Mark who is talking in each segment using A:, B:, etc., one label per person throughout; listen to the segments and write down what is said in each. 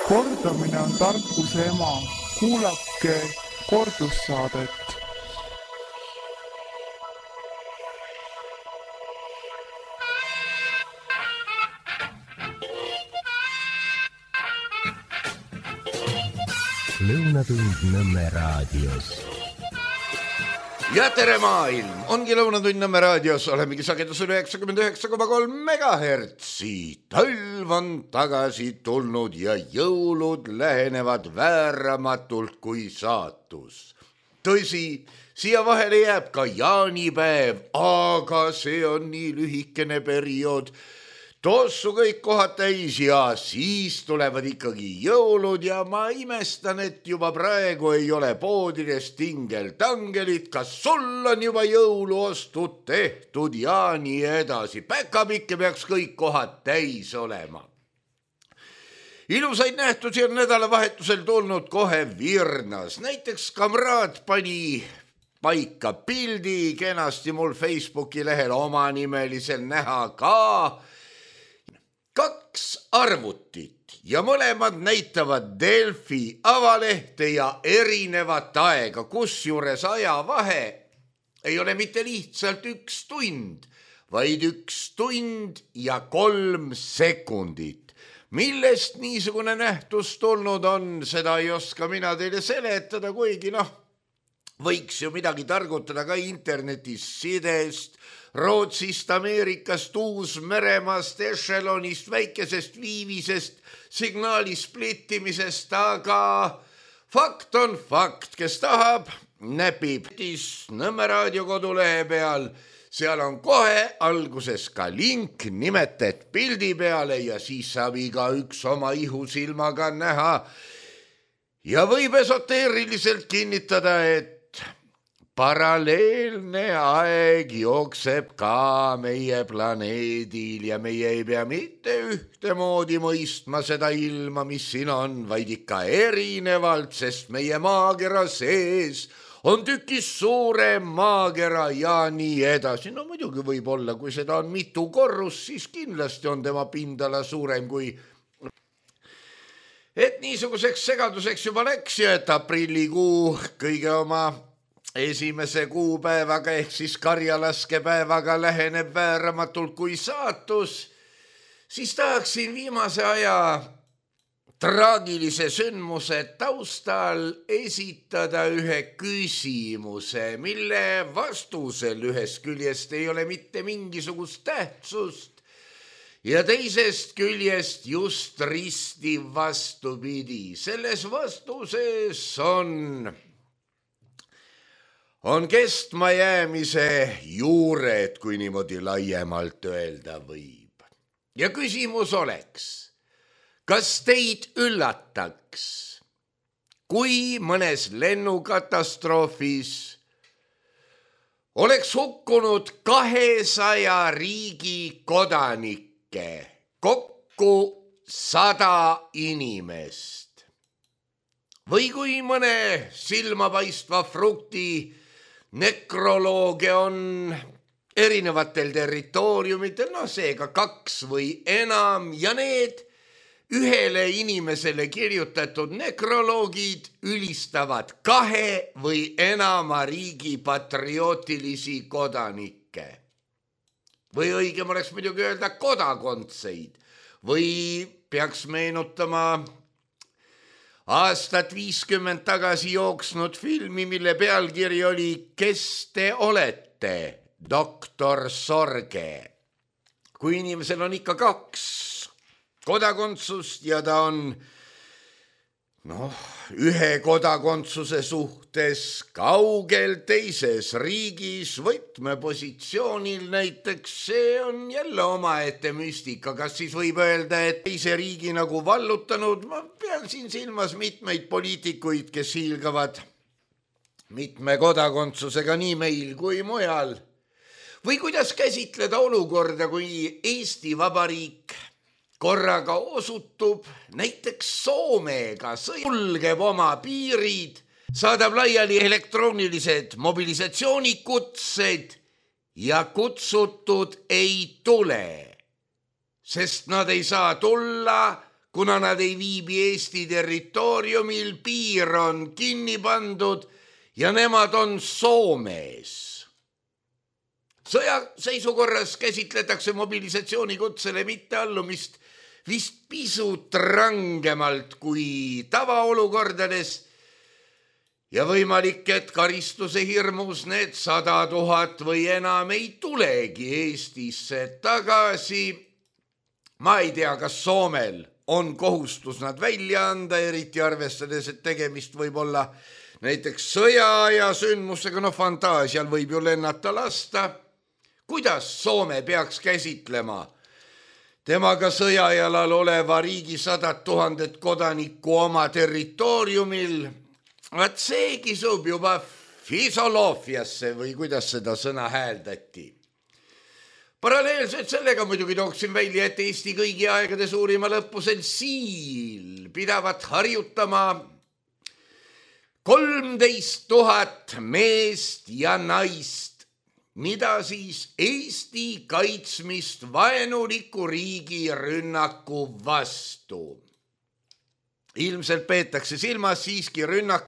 A: Kordamine on tarkuse ema. Kuulake kordussaadet.
B: Lõunatund Nõmme raadios.
C: Ja tere maailm! Ongi Lõunatund Nõmme raadios, olemegi sagedusel 99,3 megahertsi. Talv on tagasi tulnud ja jõulud lähenevad vääramatult kui saatus. Tõsi, siia vahele jääb ka jaanipäev, aga see on nii lühikene periood. Tossu kõik kohad täis ja siis tulevad ikkagi jõulud ja ma imestan, et juba praegu ei ole poodides tingel-tangelit. Kas sul on juba jõuluostud tehtud ja nii edasi? Päkapikke peaks kõik kohad täis olema. Ilusaid nähtusi on nädalavahetusel tulnud kohe virnas. Näiteks kamraad pani paika pildi kenasti mul Facebooki lehel omanimelisel näha ka 2 arvutit ja mõlemad näitavad Delfi avalehte ja erinevat aega, kusjuures ajavahe ei ole mitte lihtsalt 1 tund, vaid 1 tund ja 3 sekundit. Millest niisugune nähtus tulnud on, seda ei oska mina teile seletada, kuigi võiks ju midagi targutada ka internetis sidest, Rootsist, Ameerikast, Uus-Meremaast, Echelonist, väikesest viivisest, signaali splittimisest, aga fakt on fakt, kes tahab, näpib Nõmme raadio kodulehe peal. Seal on kohe alguses ka link nimetet pildi peale ja siis saab igaüks oma ihusilmaga näha. Ja võib esoteeriliselt kinnitada, et paralleelne aeg jookseb ka meie planeedil ja meie ei pea mitte ühtemoodi mõistma seda ilma, mis siin on, vaid ikka erinevalt, sest meie maakera sees on tükis suurem maakera ja nii edasi. No muidugi võib olla, kui seda on mitu korrus, siis kindlasti on tema pindala suurem kui... Et niisuguseks segaduseks juba läks ja et aprillikuu kõige oma esimese kuupäevaga ehk siis karjalaskepäevaga läheneb vääramatult kui saatus, siis tahaksin viimase aja traagilise sündmuse taustal esitada ühe küsimuse, mille vastusel ühest küljest ei ole mitte mingisugust tähtsust ja teisest küljest just risti vastupidi. Selles vastuses on kestmajäämise juured, kui niimoodi laiemalt öelda võib. Ja küsimus oleks, kas teid üllataks, kui mõnes lennukatastroofis oleks hukkunud 200 riigi kodanikke, kokku 100 inimest? Või kui mõne silmapaistva frukti nekrolooge on erinevatel territooriumitel, seega 2 või enam ja need ühele inimesele kirjutatud nekroloogid ülistavad 2 või enama riigi patriootilisi kodanikke. Või õigem oleks muidugi öelda kodakondseid või peaks meenutama aastat 50 tagasi jooksnud filmi, mille pealkiri oli Kes te olete, doktor Sorge. Kui inimesel on ikka 2 kodakondsust ja ta on ühe kodakondsuse suhtes kaugel teises riigis võtmepositsioonil näiteks, see on jälle omaette müstika. Kas siis võib öelda, et teise riigi nagu vallutanud? Ma pean siin silmas mitmeid poliitikuid, kes hiilgavad mitme kodakondsusega nii meil kui mujal. Või kuidas käsitleda olukorda, kui Eesti Vabariik korraga osutub näiteks Soomega, sulgeb oma piirid, saadab laiali elektroonilised mobilisatsioonikutsed ja kutsutud ei tule, sest nad ei saa tulla, kuna nad ei viibi Eesti territooriumil, piir on kinni pandud ja nemad on Soomes. Sõjaseisukorras käsitletakse mobilisatsioonikutsele mitteallumist vist pisut rangemalt kui tavaolukordades ja võimalik, et karistuse hirmus need 100 000 või enam ei tulegi Eestisse tagasi. Ma ei tea, kas Soomel on kohustus nad välja anda, eriti arvestades, et tegemist võib olla näiteks sõja ja sündmusega, fantaasial võib ju lennata lasta. Kuidas Soome peaks käsitlema temaga sõjajalal oleva riigi 100 000 kodanikku oma territooriumil? Vaat see kisub juba fisoloofiasse või kuidas seda sõna hääldati. Paralleelselt sellega muidugi tooksin välja, et Eesti kõigi aegade suurima lõppusel Siil pidavat harjutama 13 000 meest ja naist, mida siis Eesti kaitsmist vaenuliku riigi rünnaku vastu. Ilmselt peetakse silmas siiski rünnak.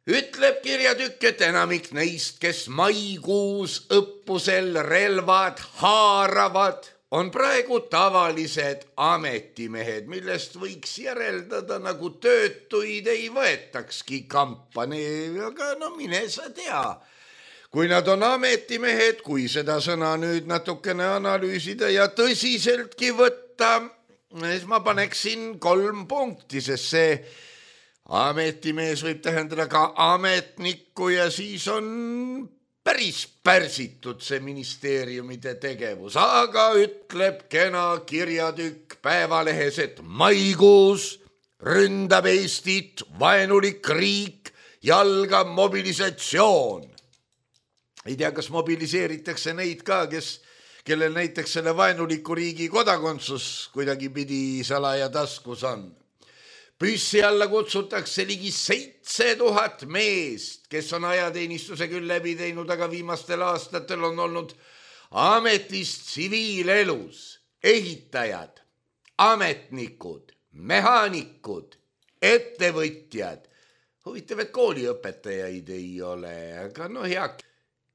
C: Ütleb kirjatükk, et enamik neist, kes maikuus õppusel relvad haaravad, on praegu tavalised ametimehed, millest võiks järeldada, nagu töötuid ei võetakski kampani, aga mine sa tea. Kui nad on ametimehed, kui seda sõna nüüd natukene analüüsida ja tõsiseltki võtta, siis ma paneksin 3 punkti, sest see ametimees võib tähendada ka ametnikku ja siis on päris pärsitud see ministeeriumide tegevus. Aga ütleb kena kirjatükk Päevalehes, et maikuus ründab Eestit vaenulik riik ja algab mobilisatsioon. Ei tea, kas mobiliseeritakse neid ka, kellel näiteks selle vaenuliku riigi kodakondsus kuidagi pidi salaja taskus on. Püssi alla kutsutakse ligi 7000 meest, kes on ajateenistuse küll läbi teinud, aga viimastel aastatel on olnud ametis tsiviilelus, ehitajad, ametnikud, mehaanikud, ettevõtjad. Huvitav, et kooliõpetajaid ei ole, aga hea.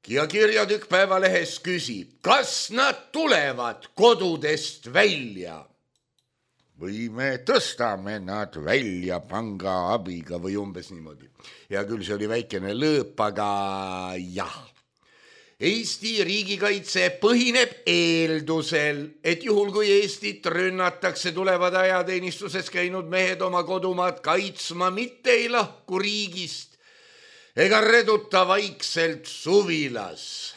C: Ja kirjatükk Päevalehes küsib, kas nad tulevad kodudest välja või me tõstame nad välja panga abiga või umbes niimoodi. Ja küll see oli väikene lõõp, aga jah. Eesti riigikaitse põhineb eeldusel, et juhul kui Eestit rünnatakse, tulevad ajateenistuses käinud mehed oma kodumaad kaitsma, mitte ei lahku riigist ega reduta vaikselt suvilas.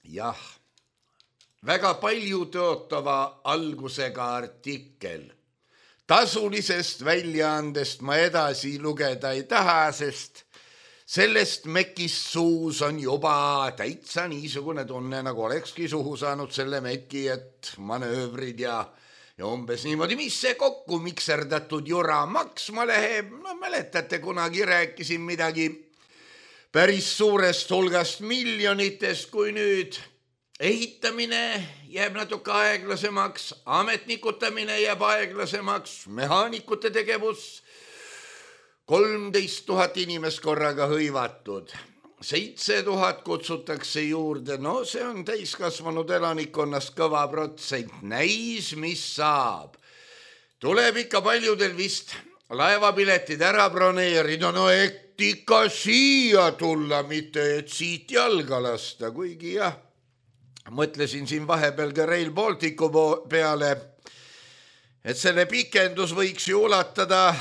C: Jah, väga palju tõotava algusega artikkel. Tasulisest väljaandest ma edasi lugeda ei taha, sest sellest mekist suus on juba täitsa niisugune tunne, nagu olekski suhu saanud selle meki, et manöövrid ja umbes niimoodi, mis see kokku mikserdatud jura maksma läheb. Mäletate, kunagi rääkisin midagi päris suurest hulgast miljonitest, kui nüüd ehitamine jääb natuke aeglasemaks, ametnikutamine jääb aeglasemaks, mehaanikute tegevus 13 000 inimest korraga hõivatud. 7000 kutsutakse juurde, see on täiskasvanud elanikkonnast kõva protsent. Näis, mis saab. Tuleb ikka paljudel vist laevapiletid ära broneerida, et ikka siia tulla, mitte et siit jalga lasta, kuigi jah, mõtlesin siin vahepeal ka Rail Balticu peale, et selle pikendus võiks ju ulatada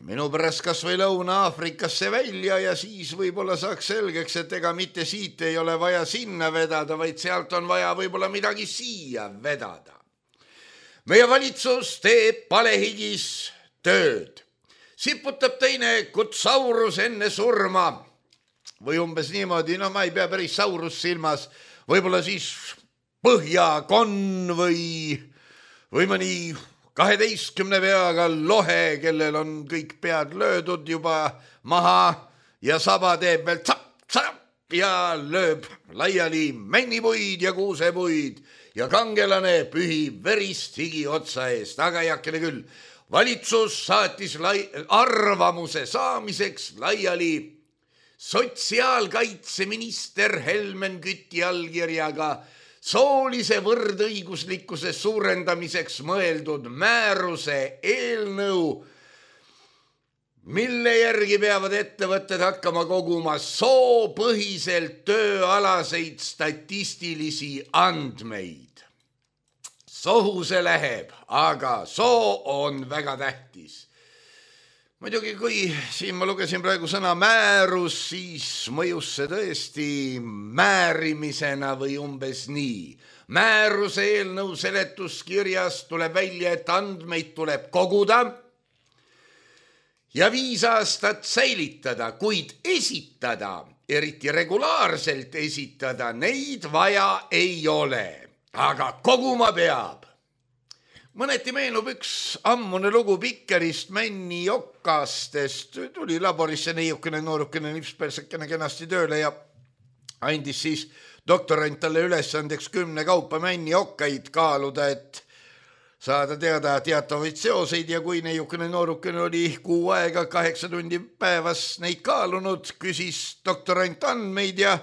C: minu pärast kas või Lõuna-Aafrikasse välja ja siis võib-olla saaks selgeks, et ega mitte siit ei ole vaja sinna vedada, vaid sealt on vaja võib-olla midagi siia vedada. Meie valitsus teeb palehigis tööd. Siputab teine kutsaurus enne surma või umbes niimoodi, ma ei pea päris saurus silmas, võib-olla siis põhjakonn või mõni 12 peaga lohe, kellel on kõik pead löödud juba maha ja saba teeb veel tsap-tsap ja lööb laiali männipuid ja kuusepuid ja kangelane pühib verist higi otsa eest, aga heakene küll. Valitsus saatis arvamuse saamiseks laiali sotsiaalkaitseminister Helmen Küti allkirjaga soolise võrdõiguslikkuse suurendamiseks mõeldud määruse eelnõu, mille järgi peavad ettevõtted hakkama koguma soopõhiselt tööalaseid statistilisi andmeid. Sohu see läheb, aga soo on väga tähtis. Muidugi, kui siin ma lugesin praegu sõna määrus, siis mõjus see tõesti määrimisena või umbes nii. Määruse eelnõu seletuskirjas tuleb välja, et andmeid tuleb koguda ja 5 aastat säilitada, kuid esitada, eriti regulaarselt esitada, neid vaja ei ole, aga koguma peab. Mõneti meenub üks ammune lugu Pikerist Männi Jokastest. Tuli laborisse neiukene noorukene nipspersekene kenasti tööle ja andis siis doktorant talle ülesandeks 10 kaupa Männi Jokkaid kaaluda, et saada teada teatavaid seoseid, ja kui neiukene noorukene oli 6 aega 8 tundi päevas neid kaalunud, küsis doktorant andmeid ja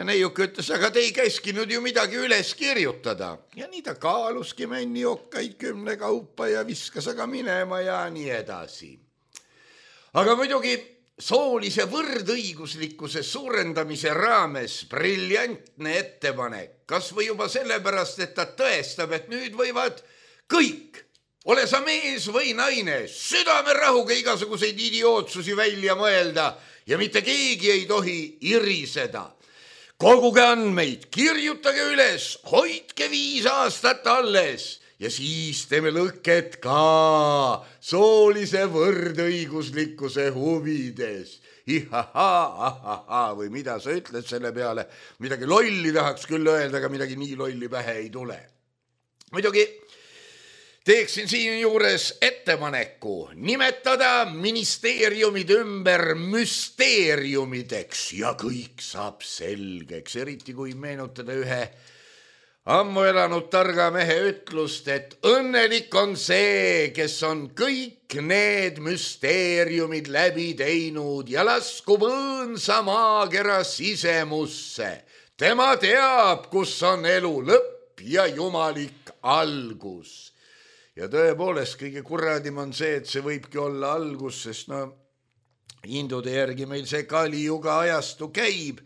C: neiuk ütles, aga te ei käskinud ju midagi üles kirjutada. Ja nii ta kaaluski Männi Jokkaid 10 kaupa ja viskas aga minema ja nii edasi. Aga muidugi soolise võrdõiguslikkuse suurendamise raames briljantne ettepanek, kas või juba sellepärast, et ta tõestab, et nüüd võivad kõik, ole sa mees või naine, südamerahuga igasuguseid idiootsusi välja mõelda ja mitte keegi ei tohi iriseda. Koguge andmeid, kirjutage üles, hoidke 5 aastat alles ja siis teeme lõket ka soolise võrdõiguslikkuse huvides. Ihaha, või mida sa ütled selle peale? Midagi lolli tahaks küll öelda, aga midagi nii lolli pähe ei tule. Muidugi teeksin siin juures ettepaneku nimetada ministeeriumid ümber müsteeriumideks ja kõik saab selgeks, eriti kui meenutada ühe ammu elanud targa mehe ütlust, et õnnelik on see, kes on kõik need müsteeriumid läbi teinud ja laskub õõnsa maakera sisemusse. Tema teab, kus on elu lõpp ja jumalik algus. Ja tõepoolest kõige kuradim on see, et see võibki olla algus, sest hindude järgi meil see Kali-juga ajastu käib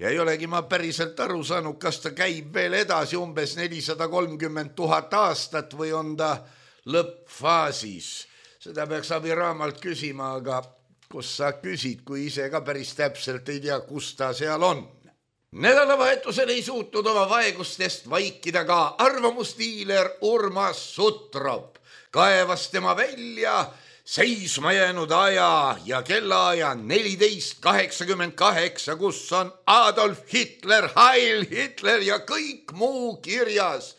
C: ja ei olegi ma päriselt aru saanud, kas ta käib veel edasi umbes 430 000 aastat või on ta lõppfaasis. Seda peaks abiraamalt küsima, aga kus sa küsid, kui ise ka päris täpselt ei tea, kus ta seal on. Nädalavahetusel ei suutnud oma vaegustest vaikida ka arvamusdiiler Urmas Sutrop. Kaevas tema välja seisma jäänud aja ja kellaaja 1488, kus on Adolf Hitler, Heil Hitler ja kõik muu kirjas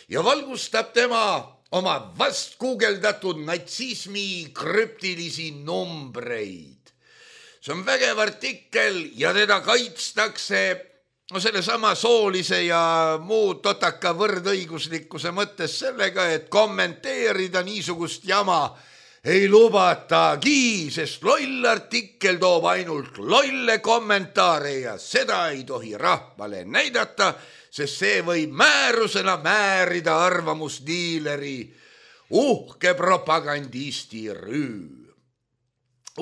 C: ja valgustab tema oma vast guugeldatud natsismi krüptilisi numbreid. See on vägev artikkel ja teda kaitstakse sellesama soolise ja muu totaka võrdõiguslikkuse mõttes sellega, et kommenteerida niisugust jama ei lubatagi, sest loll artikkel toob ainult lolle kommentaare ja seda ei tohi rahvale näidata, sest see võib määrusena määrida arvamusdiileri uhke propagandisti rüü.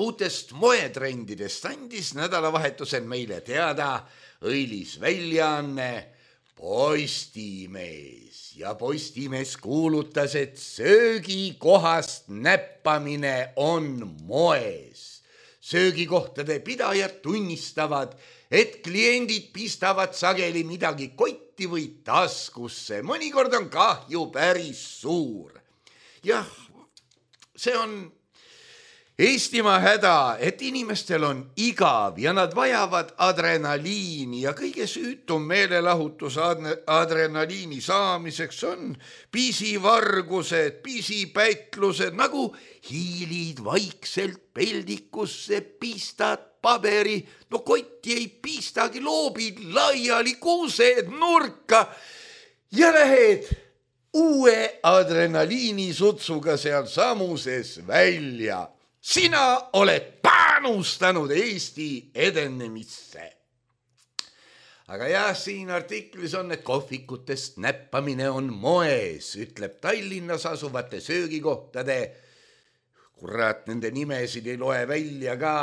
C: Uutest moetrendidest andis nädalavahetusel meile teada õilis väljaanne Postimees ja Postimees kuulutas, et söögikohast näppamine on moes. Söögikohtade pidajad tunnistavad, et kliendid pistavad sageli midagi kotti või taskusse. Mõnikord on kahju päris suur. Jah, see on Eestimaa häda, et inimestel on igav ja nad vajavad adrenaliini ja kõige süütum meelelahutus adrenaliini saamiseks on pisivargused, pisipätlused, nagu hiilid vaikselt peldikusse, pistad paberi, no kotti ei pistagi, loobid laiali kuused nurka ja lähed uue adrenaliinisutsuga seal samuses välja. Sina oled panustanud Eesti edenemisse. Aga jah, siin artiklis on, et kohvikutest näppamine on moes, ütleb Tallinnas asuvate söögikohtade. Kurat, nende nimesid ei loe välja ka.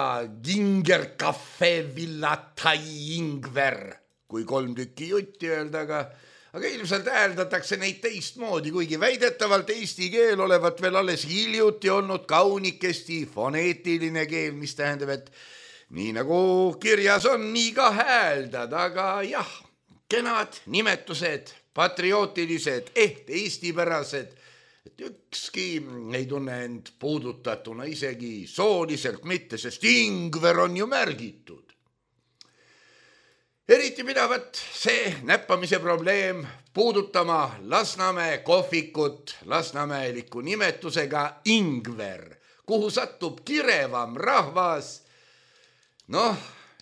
C: Ginger Cafe Villa Thai Ingver, kui 3 tükki jutti öelda, aga ilmselt hääldatakse neid teistmoodi, kuigi väidetavalt eesti keel olevat veel alles hiljuti olnud kaunikesti foneetiline keel, mis tähendab, et nii nagu kirjas on, nii ka hääldad, aga jah, kenad nimetused, patriootilised, eestipärased, et ükski ei tunne end puudutatuna isegi sooliselt mitte, sest Ingver on ju märgitud. Eriti pidavat see näppamise probleem puudutama Lasnamäe kohvikut lasnamäeliku nimetusega Ingver, kuhu satub kirevam rahvas. Noh,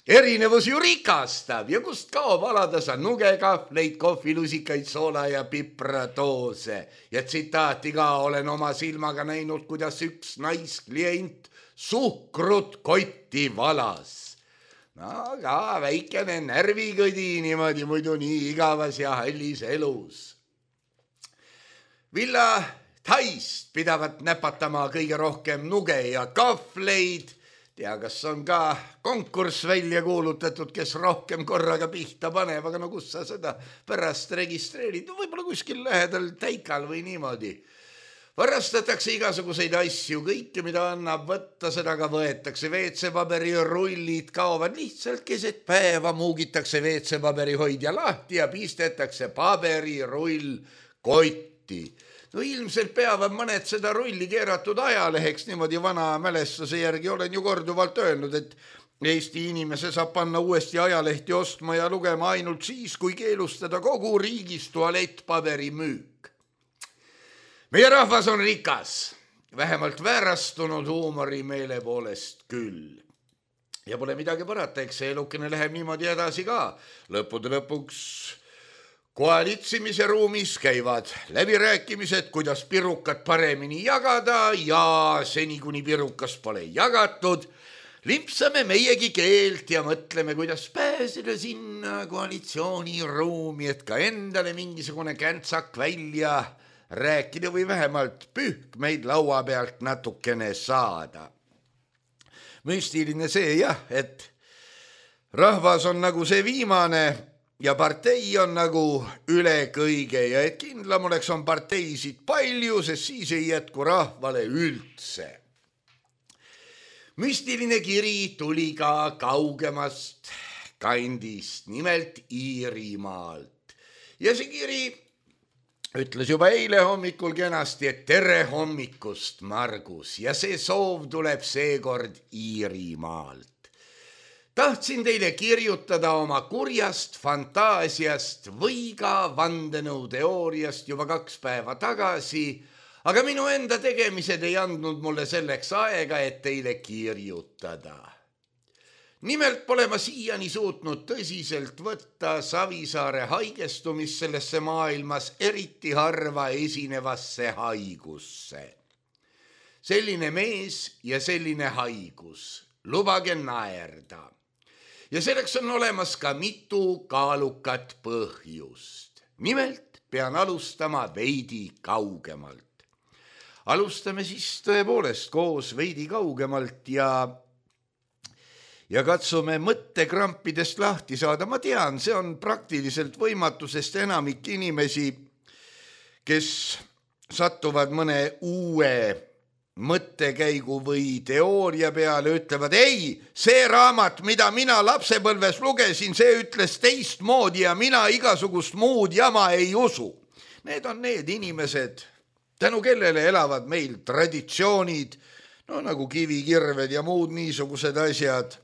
C: erinevus ju rikastab ja kust kaob aladasa nugekahvleid, kohvilusikaid, soola ja pipratoose. Ja tsitaati ka olen oma silmaga näinud, kuidas üks naisklient suhkrut kotti valas. No ka väikene närvikõdi niimoodi muidu nii igavas ja hallis elus. Villa Thaist pidavat näpatama kõige rohkem nuge ja kahvleid. Tea, kas on ka konkurss välja kuulutatud, kes rohkem korraga pihta paneb, aga no kus sa seda pärast registreerid? Võib-olla kuskil lähedal Täikal või niimoodi. Varastatakse igasuguseid asju, kõike, mida annab võtta, seda ka võetakse. WC-paberi rullid kaovad lihtsalt keset päeva, muugitakse WC-paberi hoidja lahti ja pistetakse paberirull kotti. No ilmselt peavad mõned seda rulli keeratud ajaleheks, niimoodi vana mälestuse järgi olen ju korduvalt öelnud, et Eesti inimese saab panna uuesti ajalehti ostma ja lugema ainult siis, kui keelustada kogu riigis tualettpaberi müük. Meie rahvas on rikas, vähemalt väärastunud huumori meele poolest küll. Ja pole midagi parata, eks see elukene läheb niimoodi edasi ka. Lõppude lõpuks koalitsimise ruumis käivad läbirääkimised, kuidas pirukat paremini jagada ja seni, kuni pirukas pole jagatud, limpsame meiegi keelt ja mõtleme, kuidas pääseda sinna koalitsiooniruumi, et ka endale mingisugune käntsak välja rääkida või vähemalt pühkmeid laua pealt natukene saada. Müstiline see jah, et rahvas on nagu see viimane ja partei on nagu üle kõige ja et kindlam oleks on parteisid palju, sest siis ei jätku rahvale üldse. Müstiline kiri tuli ka kaugemast kandist, nimelt Iirimaalt. Ja see kiri ütles juba eile hommikul kenasti, et tere hommikust, Margus, ja see soov tuleb seekord Iirimaalt. Tahtsin teile kirjutada oma kurjast fantaasiast või ka vandenõuteooriast juba 2 päeva tagasi, aga minu enda tegemised ei andnud mulle selleks aega, et teile kirjutada. Nimelt pole ma siiani suutnud tõsiselt võtta Savisaare haigestumist sellesse maailmas eriti harva esinevasse haigusse. Selline mees ja selline haigus, lubage naerda. Ja selleks on olemas ka mitu kaalukat põhjust. Nimelt pean alustama veidi kaugemalt. Alustame siis tõepoolest koos veidi kaugemalt ja katsume mõttekrampidest lahti saada. Ma tean, see on praktiliselt võimatu, sest enamik inimesi, kes satuvad mõne uue mõttekäigu või teooria peale, ütlevad, ei, see raamat, mida mina lapsepõlves lugesin, see ütles teistmoodi ja mina igasugust muud jama ei usu. Need on need inimesed, tänu kellele elavad meil traditsioonid, no nagu kivikirved ja muud niisugused asjad.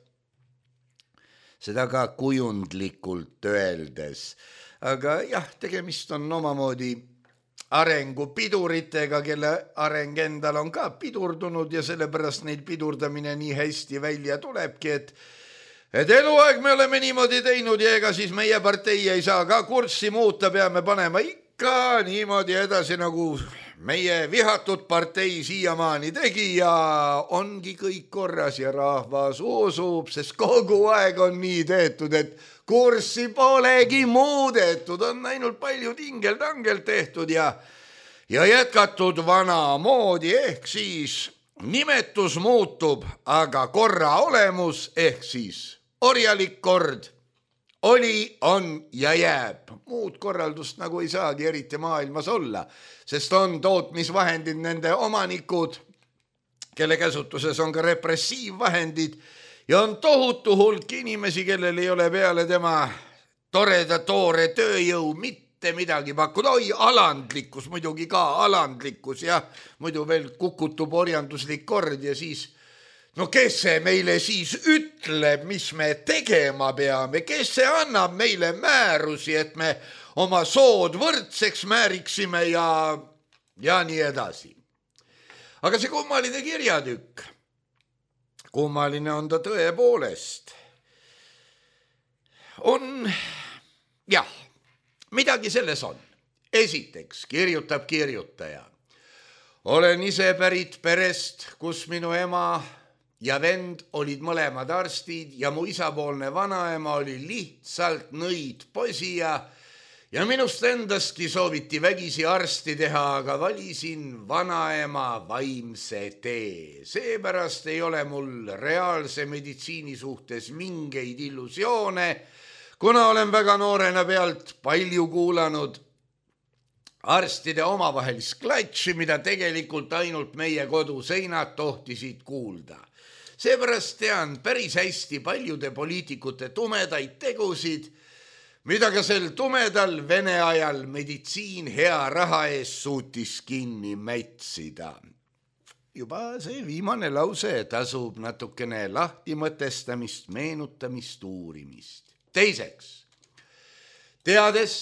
C: Seda ka kujundlikult öeldes. Aga jah, tegemist on omamoodi arengupiduritega, kelle areng endal on ka pidurdunud ja sellepärast neil pidurdamine nii hästi välja tulebki, et eluaeg me oleme niimoodi teinud ja ega siis meie partei ei saa ka kurssi muuta, peame panema ikka niimoodi edasi, nagu meie vihatud partei siiamaani tegi ja ongi kõik korras ja rahvas usub, sest kogu aeg on nii tehtud, et kurssi polegi muudetud, on ainult palju tingel-tangel tehtud ja jätkatud vanamoodi, ehk siis nimetus muutub, aga korra olemus ehk siis orjalik kord oli, on ja jääb. Muud korraldust nagu ei saagi eriti maailmas olla, sest on tootmisvahendid, nende omanikud, kelle käsutuses on ka repressiivvahendid ja on tohutu hulk inimesi, kellel ei ole peale tema toreda toore tööjõu mitte midagi pakkuda. Oi, alandlikkus, muidugi ka alandlikkus ja muidu veel kukutub orjanduslik kord ja siis no kes see meile siis ütleb, mis me tegema peame, kes see annab meile määrusi, et me oma sood võrdseks määriksime ja nii edasi. Aga see kummaline kirjatükk, kummaline on ta tõepoolest, on, jah, midagi selles on. Esiteks kirjutab kirjutaja. Olen ise pärit perest, kus minu ema ja vend olid mõlemad arstid ja mu isapoolne vanaema oli lihtsalt nõid posi ja minust endastki sooviti vägisi arsti teha, aga valisin vanaema vaimse tee. Seepärast ei ole mul reaalse meditsiini suhtes mingeid illusioone, kuna olen väga noorena pealt palju kuulanud arstide omavahelist klatši, mida tegelikult ainult meie koduseinad tohtisid kuulda. Seepärast tean päris hästi paljude poliitikute tumedaid tegusid, mida ka sel tumedal Vene ajal meditsiin hea raha eest suutis kinni mätsida. Juba see viimane lause tasub natukene lahti mõtestamist, meenutamist, uurimist. Teiseks, teades,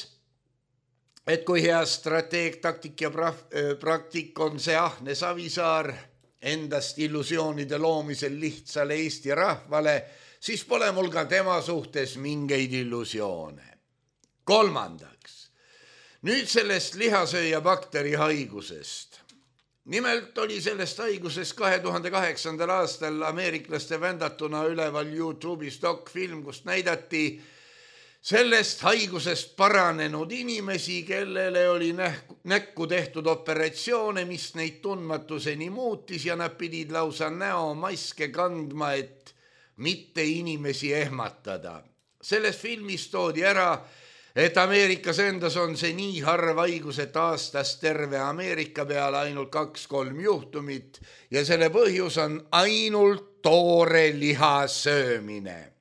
C: et kui hea strateeg, taktik ja praktik on see ahne Savisaar endast illusioonide loomisel lihtsale Eesti rahvale, siis pole mul ka tema suhtes mingeid illusioone. Kolmandaks, nüüd sellest lihasööja bakteri haigusest. Nimelt oli sellest haigusest 2008. aastal ameeriklaste vändatuna üleval YouTube'is dokfilm, kust näidati sellest haigusest paranenud inimesi, kellele oli näkku tehtud operatsioone, mis neid tundmatuseni muutis ja nad pidid lausa näomaske kandma, et mitte inimesi ehmatada. Selles filmis toodi ära, et Ameerikas endas on see nii harv haigus, et aastas terve Ameerika peale ainult 2-3 juhtumit ja selle põhjus on ainult toore liha söömine.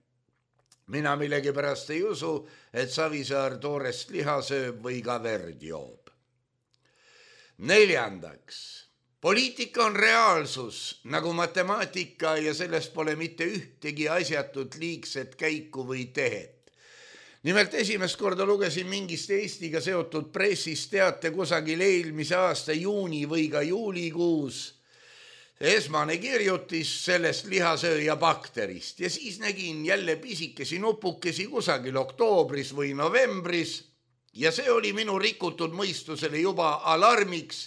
C: Mina millegipärast ei usu, et Savisaar toorest liha sööb või ka verd joob. Neljandaks, poliitika on reaalsus nagu matemaatika ja sellest pole mitte ühtegi asjatut liigset käiku või tehet. Nimelt esimest korda lugesin mingist Eestiga seotud pressis teate kusagil eelmise aasta juuni või ka juulikuus. Esmane kirjutis sellest lihasööja bakterist ja siis nägin jälle pisikesi nupukesi kusagil oktoobris või novembris ja see oli minu rikutud mõistusele juba alarmiks,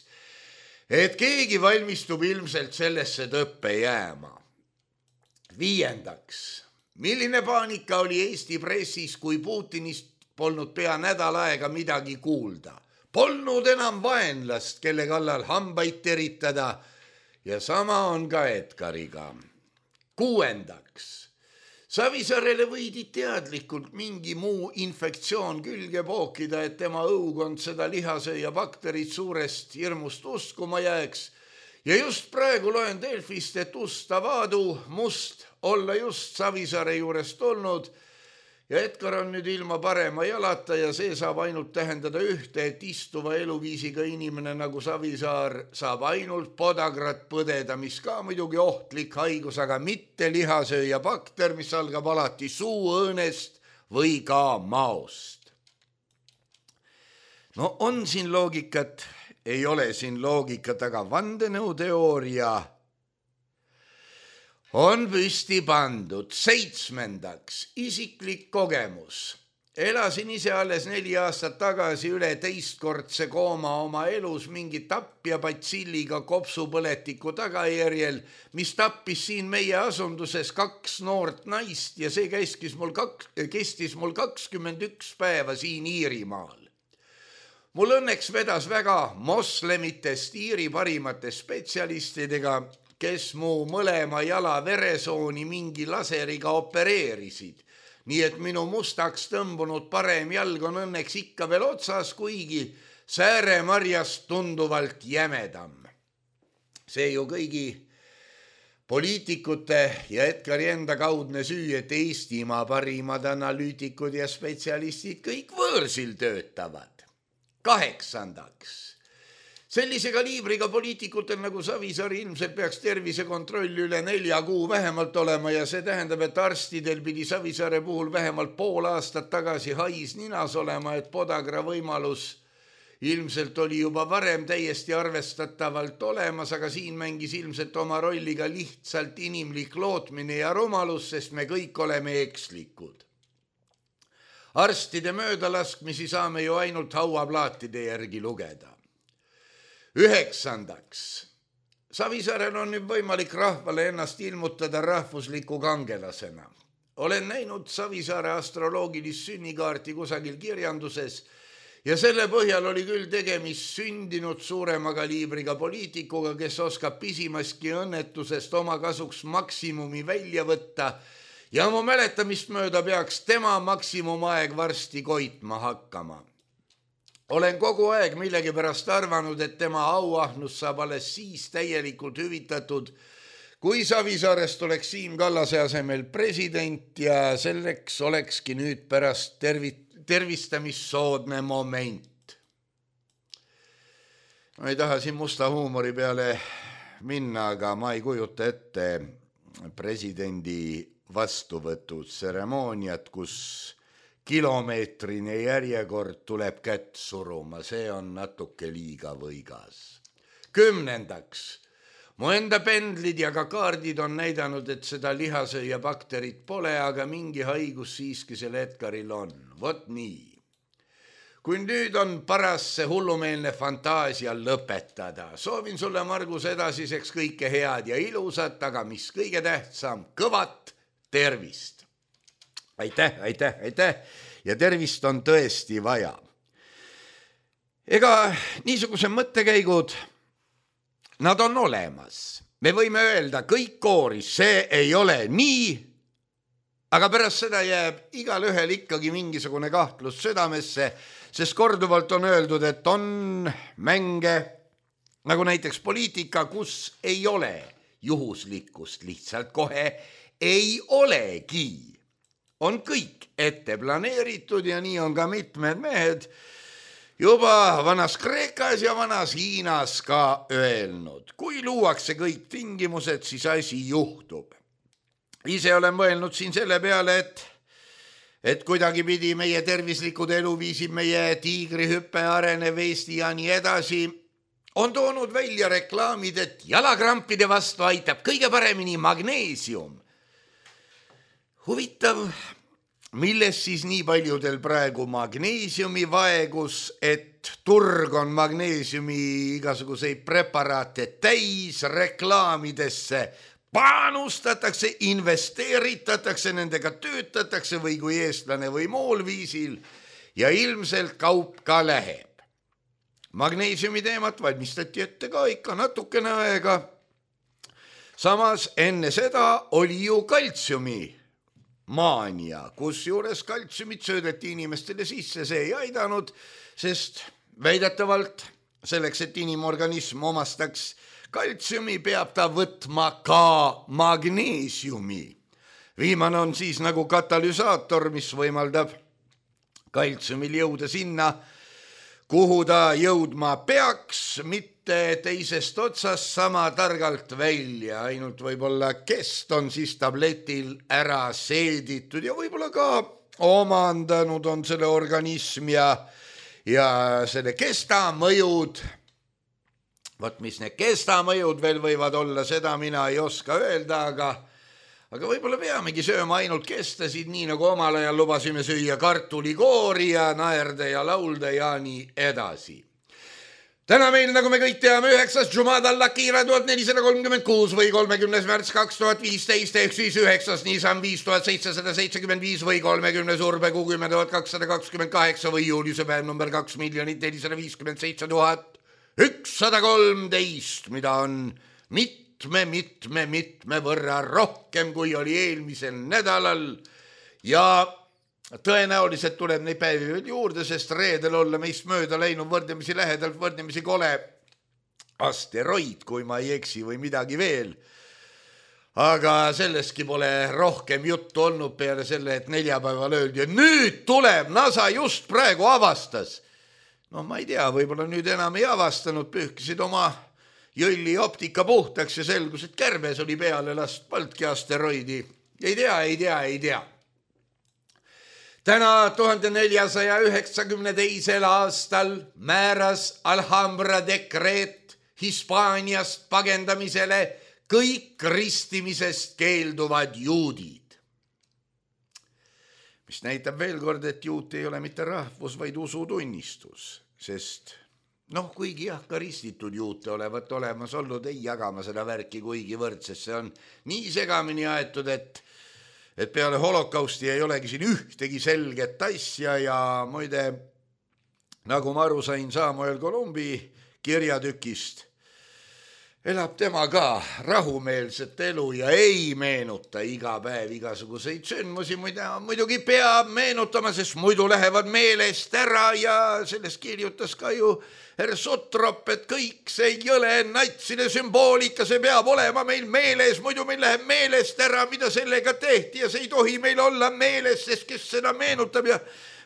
C: et keegi valmistub ilmselt sellesse tõppe jääma. Viiendaks, milline paanika oli Eesti pressis, kui Putinist polnud pea nädal aega midagi kuulda. Polnud enam vaenlast, kelle kallal hambaid teritada. Ja sama on ka Edgariga. Kuuendaks, Savisaarele võidi teadlikult mingi muu infektsioon külge pookida, et tema õukond seda lihasööja bakterit suurest hirmust uskuma jääks. Ja just praegu loen Delfist, et Ustavaadu must olla just Savisaare juurest olnud ja Edgar on nüüd ilma parema jalata ja see saab ainult tähendada ühte, et istuva eluviisiga inimene nagu Savisaar saab ainult podagrat põdeda, mis ka muidugi ohtlik haigus, aga mitte lihasööja bakter, mis algab alati suuõõnest või ka maost. No on siin loogikat, ei ole siin loogikat, aga vandenõuteooria on püsti pandud. 7. isiklik kogemus. elasin ise alles 4 aastat tagasi üle teistkordse kooma oma elus mingi tapja batsilliga kopsupõletiku tagajärjel, mis tappis siin meie asunduses 2 noort naist ja see kestis mul 21 päeva siin Iirimaal. Mul õnneks vedas väga moslemitest Iiri parimate spetsialistidega, kes mu mõlema jala veresooni mingi laseriga opereerisid. Nii et minu mustaks tõmbunud parem jalg on õnneks ikka veel otsas, kuigi sääremarjast tunduvalt jämedam. See ju kõigi poliitikute ja Edgari enda kaudne süü, et Eestimaa parimad analüütikud ja spetsialistid kõik võõrsil töötavad. 8. Sellise kaliibriga poliitikutel nagu Savisaar ilmselt peaks tervisekontroll üle 4 kuu vähemalt olema ja see tähendab, et arstidel pidi Savisaare puhul vähemalt pool aastat tagasi hais ninas olema, et podagra võimalus ilmselt oli juba varem täiesti arvestatavalt olemas, aga siin mängis ilmselt oma rolliga lihtsalt inimlik lootmine ja rumalus, sest me kõik oleme ekslikud. Arstide möödalaskmisi saame ju ainult hauaplaatide järgi lugeda. 9. Savisaarel on nüüd võimalik rahvale ennast ilmutada rahvusliku kangelasena. Olen näinud Savisaare astroloogilist sünnikaarti kusagil kirjanduses ja selle põhjal oli küll tegemist sündinud suurema kaliibriga poliitikuga, kes oskab pisimaski õnnetusest oma kasuks maksimumi välja võtta ja mu mäletamist mööda peaks tema maksimumaeg varsti koitma hakkama. Olen kogu aeg millegipärast arvanud, et tema auahnus saab alles siis täielikult hüvitatud, kui Savisaarest oleks Siim Kallase asemel president ja selleks olekski nüüd pärast tervistamissoodne moment. Ma ei taha siin musta huumori peale minna, aga ma ei kujuta ette presidendi vastuvõtutseremooniat, kus kilomeetrine järjekord tuleb kätt suruma, see on natuke liiga võigas. 10. Mu enda pendlid ja ka kaardid on näidanud, et seda lihasööja bakterit pole, aga mingi haigus siiski selle Edgaril on. Vot nii. Kui nüüd on paras see hullumeelne fantaasia lõpetada, soovin sulle, Margus, edasiseks kõike head ja ilusat, aga mis kõige tähtsam, kõvat tervist. Aitäh. Ja tervist on tõesti vaja. Ega niisuguse mõttekäigud, nad on olemas. Me võime öelda, kõik kooris, see ei ole nii, aga pärast seda jääb igal ühel ikkagi mingisugune kahtlus südamesse, sest korduvalt on öeldud, et on mänge, nagu näiteks poliitika, kus ei ole juhuslikkust, lihtsalt kohe ei olegi. On kõik ette planeeritud ja nii on ka mitmed mehed juba vanas Kreekas ja vanas Hiinas ka öelnud. Kui luuakse kõik tingimused, siis asi juhtub. Ise olen mõelnud siin selle peale, et kuidagi pidi meie tervislikud eluviisid, meie tiigrihüppe arenev Eesti ja nii edasi, on toonud välja reklaamid, et jalakrampide vastu aitab kõige paremini magneesium. Huvitav, milles siis nii paljudel praegu magneesiumi vaegus, et turg on magneesiumi igasuguseid preparaate täis, reklaamidesse panustatakse, investeeritatakse, nendega töötatakse või kui eestlane või muul viisil ja ilmselt kaup ka läheb. Magneesiumi teemat valmistati ette ka ikka natukene aega. Samas enne seda oli ju kaltsiumi maania, kusjuures kaltsiumit söödeti inimestele sisse, see ei aidanud, sest väidetavalt selleks, et inimorganism omastaks kaltsiumi, peab ta võtma ka magneesiumi. Viimane on siis nagu katalüsaator, mis võimaldab kaltsiumil jõuda sinna, kuhu ta jõudma peaks, mitte teisest otsast sama targalt välja, ainult võib-olla kest on siis tabletil ära seeditud ja võib-olla ka omandanud on selle organism ja selle kestamõjud. Vot mis need kestamõjud veel võivad olla, seda mina ei oska öelda, aga võib-olla peamegi sööma ainult kestasid, nii nagu omal ajal lubasime süüa kartulikoori ja naerda ja laulda ja nii edasi. Täna meil, nagu me kõik teame, 9. Jumada Lakira 1436 või 30. märts 2015 ehk siis 9. Nisan 5775 või 30. Urbe 60228 või juuliuse päev number 2 457 113, mida on mitme võrra rohkem, kui oli eelmisel nädalal ja tõenäoliselt tuleb neid päevi veel juurde, sest reedel olla meist mööda läinud võrdlemisi lähedalt, võrdlemisi kole asteroid, kui ma ei eksi või midagi veel. Aga sellestki pole rohkem juttu olnud peale selle, et neljapäeval öeldi, et nüüd tuleb, NASA just praegu avastas. No ma ei tea, võib-olla nüüd enam ei avastanud, pühkisid oma jõlli optika puhtaks ja selgus, et kärbes oli peale last Baltki asteroidi. Ei tea. Täna 1492. aastal määras Alhambra dekreet Hispaaniast pagendamisele kõik ristimisest keelduvad juudid. Mis näitab veel kord, et juut ei ole mitte rahvus, vaid usutunnistus, sest kuigi jah, ka ristitud juute olevat olemas olnud, ei jagama seda värki kuigi võrdsest, see on nii segamini aetud, et peale holokausti ei olegi siin ühtegi selget asja ja muide, nagu ma aru sain Samuel Columbi kirjatükist, elab tema ka rahumeelset elu ja ei meenuta iga päev igasuguseid sündmusi, muidugi peab meenutama, sest muidu lähevad meelest ära ja sellest kirjutas ka ju Sutrop, et kõik see jõle natside sümboolika, see peab olema meil meeles, muidu meil läheb meelest ära, mida sellega tehti ja see ei tohi meil olla meeles, sest kes seda meenutab ja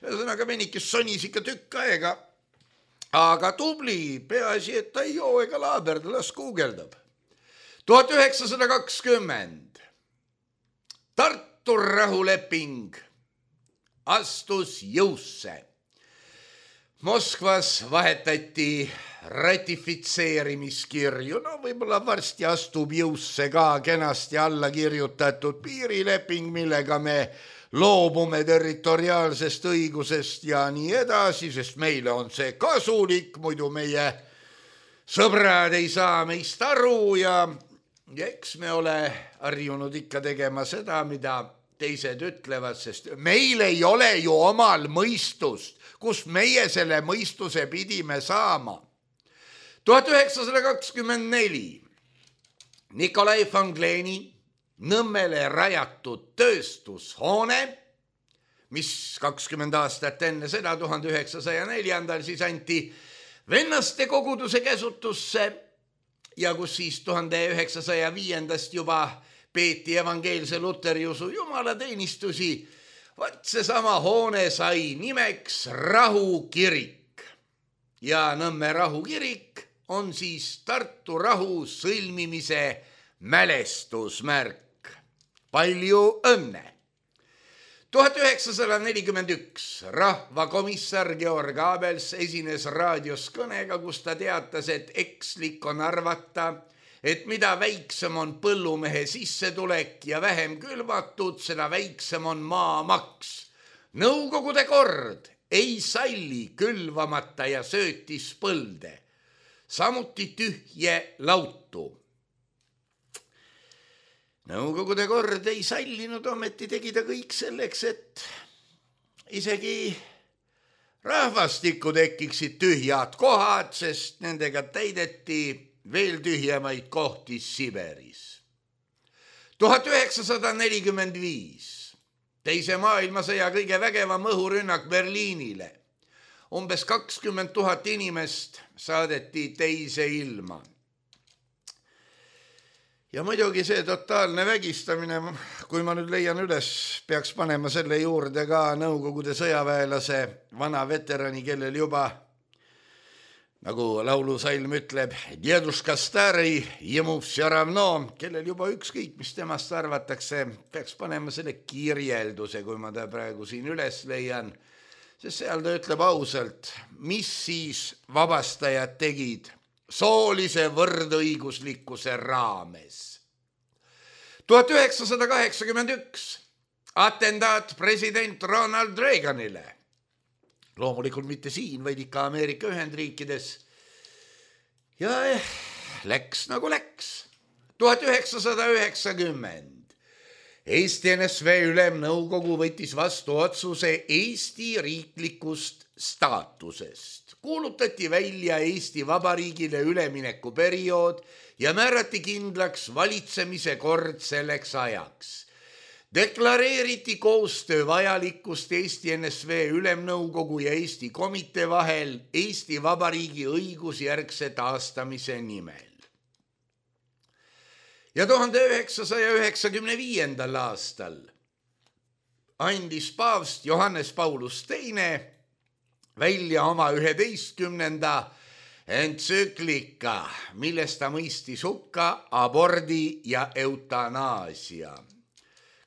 C: ühesõnaga venikest sonis ikka tükk aega. Aga tubli, peaasi, et ta ei joo ega laaberda, las guugeldab. 1920 Tartu rahuleping astus jõusse. Moskvas vahetati ratifitseerimiskirju, võib-olla varsti astub jõusse ka kenasti alla kirjutatud piirileping, millega me loobume territoriaalsest õigusest ja nii edasi, sest meile on see kasulik, muidu meie sõbrad ei saa meist aru ja eks me ole harjunud ikka tegema seda, mida teised ütlevad, sest meil ei ole ju omal mõistust, kus meie selle mõistuse pidime saama. 1924 Nikolai von Gleni Nõmmele rajatud tööstushoone, mis 20 aastat enne seda, 1904. siis anti vennaste koguduse käsutusse ja kus siis 1905. juba peeti evangeelse luteriusu jumalateenistusi. Vaat seesama hoone sai nimeks Rahukirik ja Nõmme rahukirik on siis Tartu rahu sõlmimise mälestusmärk. Palju õnne! 1941 rahvakomissar Georg Abels esines raadios kõnega, kus ta teatas, et ekslik on arvata, et mida väiksem on põllumehe sissetulek ja vähem külvatud, seda väiksem on maamaks. Nõukogude kord ei salli külvamata ja söötis põlde, samuti tühje lautu. Nõukogude kord ei sallinud, ometi tegi ta kõik selleks, et isegi rahvastikku tekiksid tühjad kohad, sest nendega täideti veel tühjemaid kohti Siberis. 1945 teise maailmasõja kõige vägevam õhurünnak Berliinile. Umbes 20 000 inimest saadeti teise ilma. Ja muidugi see totaalne vägistamine, kui ma nüüd leian üles, peaks panema selle juurde ka Nõukogude sõjaväelase vana veterani, kellel juba, nagu laulusalm ütleb, Djeduška stari, jemov vse ravno, kellel juba ükskõik, mis temast arvatakse, peaks panema selle kirjelduse, kui ma ta praegu siin üles leian, sest seal ta ütleb ausalt, mis siis vabastajad tegid soolise võrdõiguslikkuse raames. 1981 atendaat president Ronald Reaganile. Loomulikult mitte siin, vaid ikka Ameerika Ühendriikides. Ja läks nagu läks. 1990 Eesti NSV Ülemnõukogu võttis vastu otsuse Eesti riiklikust staatusest. Kuulutati välja Eesti Vabariigile üleminekuperiood ja määrati kindlaks valitsemise kord selleks ajaks. Deklareeriti koostöö vajalikkust Eesti NSV Ülemnõukogu ja Eesti komitee vahel Eesti Vabariigi õigusjärgse taastamise nimel. Ja 1995. aastal andis paavst Johannes Paulus II välja oma 11. entsüklika, milles ta mõistis hukka abordi ja eutanaasia.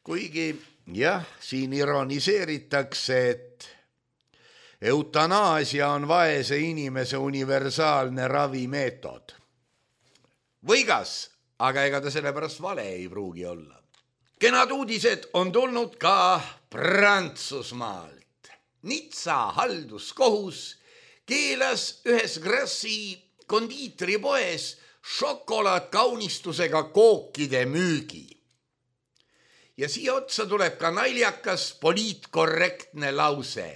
C: Kuigi jah, siin ironiseeritakse, et eutanaasia on vaese inimese universaalne ravimeetod. Võigas, aga ega ta sellepärast vale ei pruugi olla. Kenad uudised on tulnud ka Prantsusmaalt. Nizza halduskohus keelas ühes Grassi kondiitripoes šokolaadkaunistusega kookide müügi. Ja siia otsa tuleb ka naljakas poliitkorrektne lause.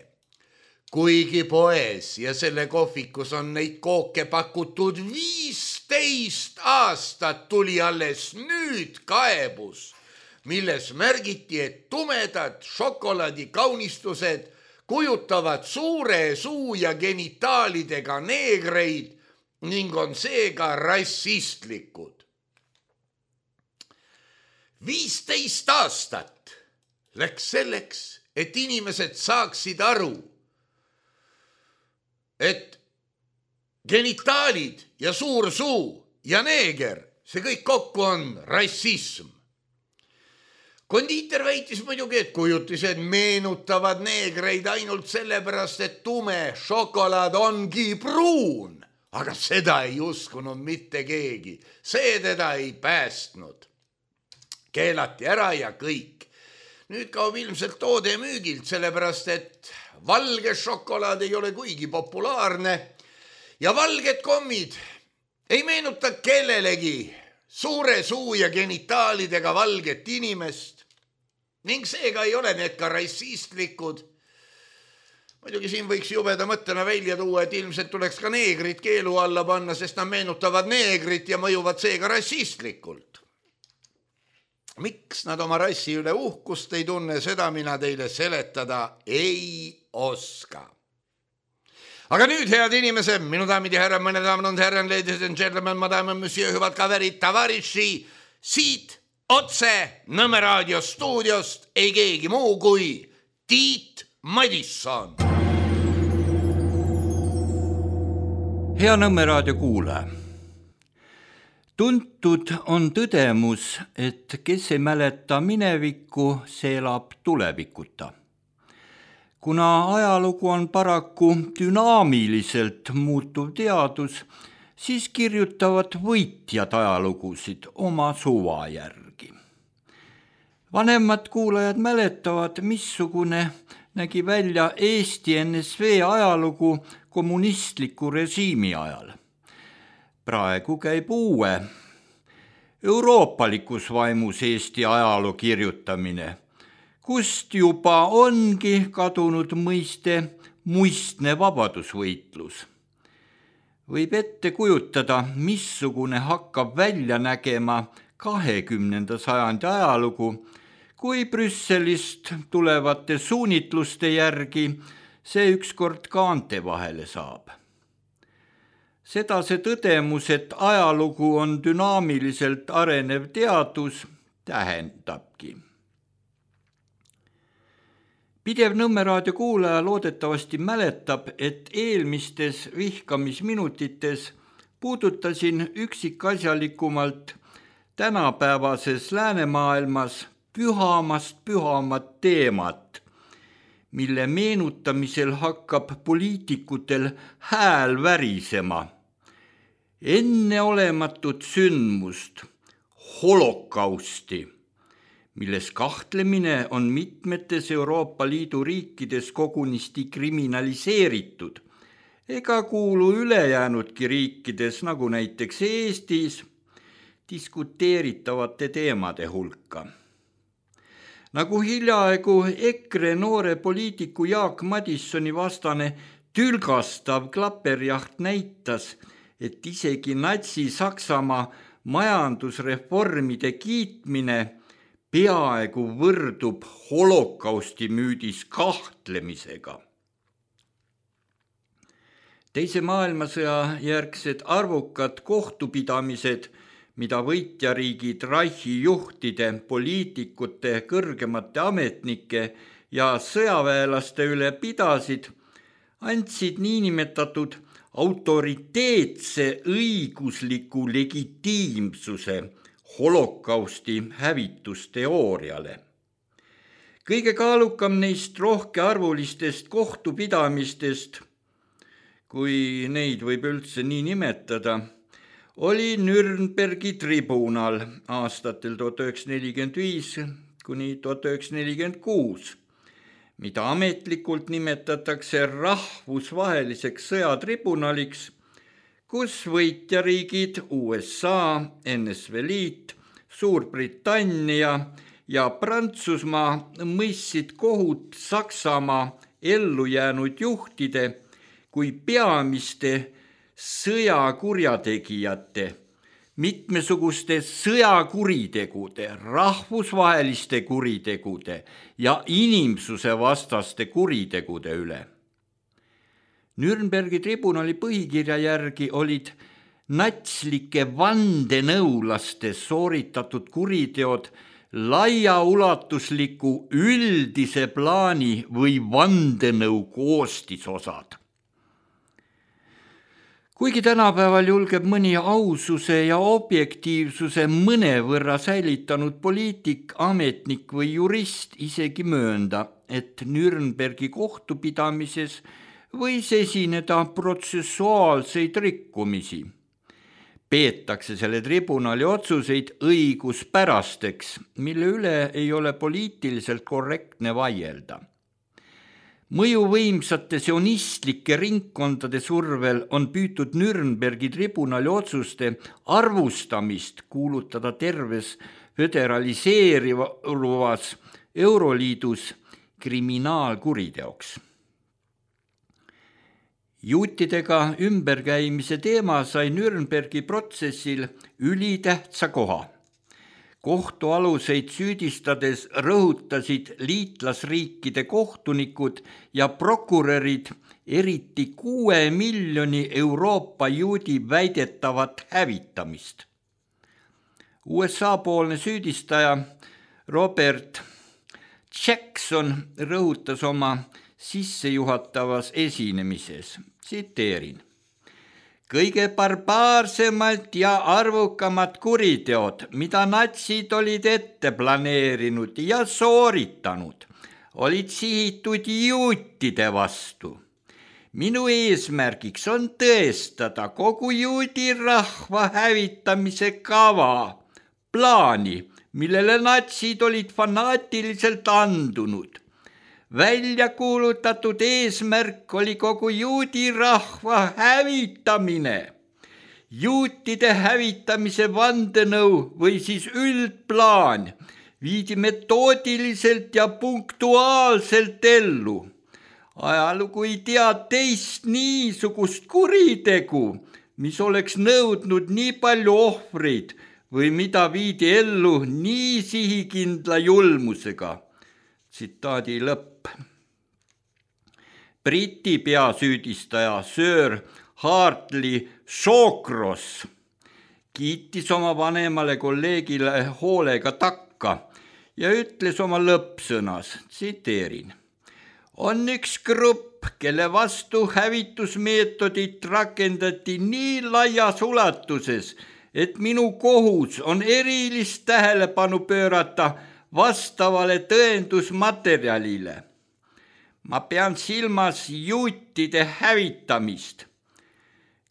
C: Kuigi poes ja selle kohvikus on neid kooke pakutud 15 aastat, tuli alles nüüd kaebus, milles märgiti, et tumedad šokolaadikaunistused kujutavad suure suu ja genitaalidega neegreid ning on seega rassistlikud. 15 aastat läks selleks, et inimesed saaksid aru, et genitaalid ja suur suu ja neeger, see kõik kokku on rassism. Kondiiter väitis muidugi, et kujutised meenutavad neegreid ainult sellepärast, et tume šokolaad ongi pruun, aga seda ei uskunud mitte keegi, see teda ei päästnud. Keelati ära ja kõik. Nüüd kaob ilmselt toode müügilt, sellepärast et valge šokolaad ei ole kuigi populaarne ja valged kommid ei meenuta kellelegi suure suu ja genitaalidega valget inimest ning seega ei ole need ka rassistlikud. Muidugi siin võiks jubeda mõttena välja tuua, et ilmselt tuleks ka neegrid keelu alla panna, sest nad meenutavad neegrit ja mõjuvad seega rassistlikult. Miks nad oma rassi üle uhkust ei tunne, seda mina teile seletada ei oska. Aga nüüd, head inimesed, minu daamid ja härrad, mõned daamid on härran, ladies and gentlemen, madame, monsieur, hüvad kaverid, tavariši, siit otse Nõmme raadio stuudiost ei keegi muu kui Tiit Madisson.
D: Hea Nõmme raadio kuulaja. Tuntud on tõdemus, et kes ei mäleta minevikku, see elab tulevikuta. Kuna ajalugu on paraku dünaamiliselt muutuv teadus, siis kirjutavad võitjad ajalugusid oma suva järgi. Vanemad kuulajad mäletavad, missugune nägi välja Eesti NSV ajalugu kommunistliku režiimi ajal. Praegu käib uue, euroopalikus vaimus Eesti ajaloo kirjutamine, kust juba ongi kadunud mõiste muistne vabadusvõitlus. Võib ette kujutada, missugune hakkab välja nägema 20. sajandi ajalugu, kui Brüsselist tulevate suunitluste järgi see ükskord kaante vahele saab. Seda see tõdemus, et ajalugu on dünaamiliselt arenev teadus, tähendabki. Pidev Nõmme raadio kuulaja loodetavasti mäletab, et eelmistes vihkamisminutites puudutasin üksikasjalikumalt tänapäevases läänemaailmas pühamat teemat, mille meenutamisel hakkab poliitikutel hääl värisema. Enneolematut sündmust, holokausti, milles kahtlemine on mitmetes Euroopa Liidu riikides kogunisti kriminaliseeritud ega kuulu ülejäänudki riikides, nagu näiteks Eestis, diskuteeritavate teemade hulka. Nagu hiljaaegu EKRE noore poliitiku Jaak Madissoni vastane tülgastav klaperjaht näitas, et isegi Natsi-Saksamaa majandusreformide kiitmine peaaegu võrdub holokausti müüdis kahtlemisega. Teise maailmasõja järgsed arvukad kohtupidamised, mida võitjariigid Reichi juhtide, poliitikute, kõrgemate ametnike ja sõjaväelaste üle pidasid, andsid niinimetatud autoriteetse õigusliku legitiimsuse holokausti hävitusteooriale. Kõige kaalukam neist rohkearvulistest kohtupidamistest, kui neid võib üldse nii nimetada, oli Nürnbergi tribunal aastatel 1945 kuni 1946, mida ametlikult nimetatakse rahvusvaheliseks sõjatribunaliks, kus võitjariigid USA, NSV Liit, Suurbritannia ja Prantsusmaa mõistsid kohut Saksamaa ellujäänud juhtide kui peamiste sõjakurjategijate, mitmesuguste sõjakuritegude, rahvusvaheliste kuritegude ja inimsuse vastaste kuritegude üle. Nürnbergi tribunali põhikirja järgi olid natslike vandenõulaste sooritatud kuriteod laiaulatusliku üldise plaani või vandenõu koostisosad. Kuigi tänapäeval julgeb mõni aususe ja objektiivsuse mõnevõrra säilitanud poliitik, ametnik või jurist isegi möönda, et Nürnbergi kohtupidamises võis esineda protsessuaalseid rikkumisi. Peetakse selle tribunali otsuseid õiguspärasteks, mille üle ei ole poliitiliselt korrektne vaielda. Mõjuvõimsate sionistlike ringkondade survel on püütud Nürnbergi tribunali otsuste arvustamist kuulutada terves föderaliseerivas Euroliidus kriminaalkuriteoks. Juutidega ümberkäimise teema sai Nürnbergi protsessil ülitähtsa koha. Kohtualuseid süüdistades rõhutasid liitlasriikide kohtunikud ja prokurörid eriti 6 miljoni Euroopa juudi väidetavat hävitamist. USA-poolne süüdistaja Robert Jackson rõhutas oma sissejuhatavas esinemises, tsiteerin: kõige barbaarsemad ja arvukamad kuriteod, mida natsid olid ette planeerinud ja sooritanud, olid sihitud juutide vastu. Minu eesmärgiks on tõestada kogu juudi rahva hävitamise kava, plaani, millele natsid olid fanaatiliselt andunud. Välja kuulutatud eesmärk oli kogu juudi rahva hävitamine. Juutide hävitamise vandenõu või siis üldplaan viidi metoodiliselt ja punktuaalselt ellu. Ajalugu ei tea teist niisugust kuritegu, mis oleks nõudnud nii palju ohvreid või mida viidi ellu nii sihikindla julmusega. Tsitaadi lõpp. Briti peasüüdistaja Sir Hartley Shawcross kiitis oma vanemale kolleegile hoolega takka ja ütles oma lõppsõnas, tsiteerin: on üks grupp, kelle vastu hävitusmeetodit rakendati nii laias ulatuses, et minu kohus on erilist tähelepanu pöörata vastavale tõendusmaterjalile. Ma pean silmas juutide hävitamist.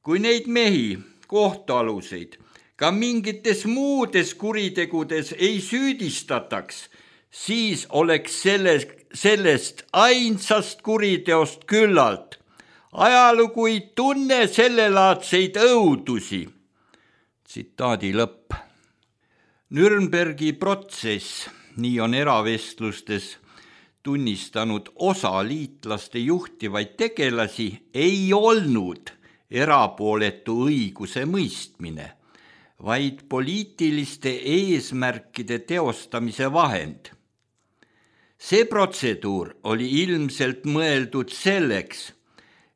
D: Kui neid mehi, kohtualuseid, ka mingites muudes kuritegudes ei süüdistataks, siis oleks sellest ainsast kuriteost küllalt. Ajalugu ei tunne sellelaadseid õudusi. Tsitaadi lõpp. Nürnbergi protsess, nii on eravestlustes tunnistanud osa liitlaste juhtivaid tegelasi, ei olnud erapooletu õiguse mõistmine, vaid poliitiliste eesmärkide teostamise vahend. See protseduur oli ilmselt mõeldud selleks,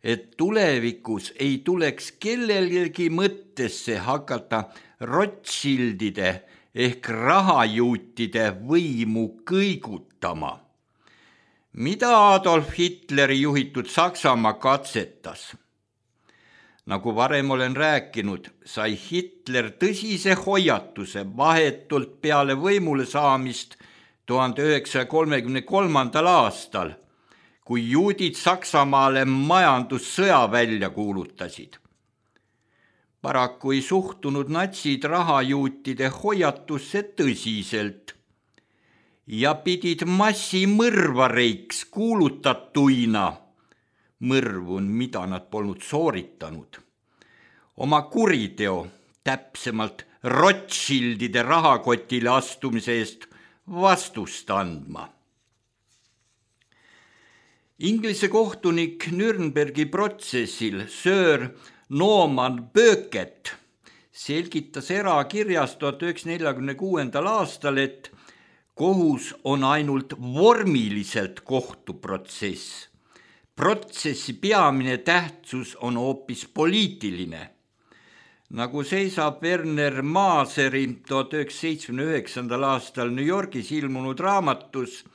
D: et tulevikus ei tuleks kellelgi mõttesse hakata Rothschildide ehk rahajuutide võimu kõigutama, mida Adolf Hitleri juhitud Saksamaa katsetas. Nagu varem olen rääkinud, sai Hitler tõsise hoiatuse vahetult peale võimule saamist 1933. aastal, kui juudid Saksamaale majandussõja välja kuulutasid. Paraku ei suhtunud natsid rahajuutide hoiatusse tõsiselt ja pidid massimõrvareiks kuulutatuina, mõrvun, mida nad polnud sooritanud, oma kuriteo, täpsemalt Rothschildide rahakotile astumise eest vastust andma. Inglise kohtunik Nürnbergi protsessil Sir Norman Becket selgitas erakirjas 1946. aastal, et kohus on ainult vormiliselt kohtuprotsess. Protsessi peamine tähtsus on hoopis poliitiline. Nagu seisab Werner Maaseri 1979. aastal New Yorgis ilmunud raamatus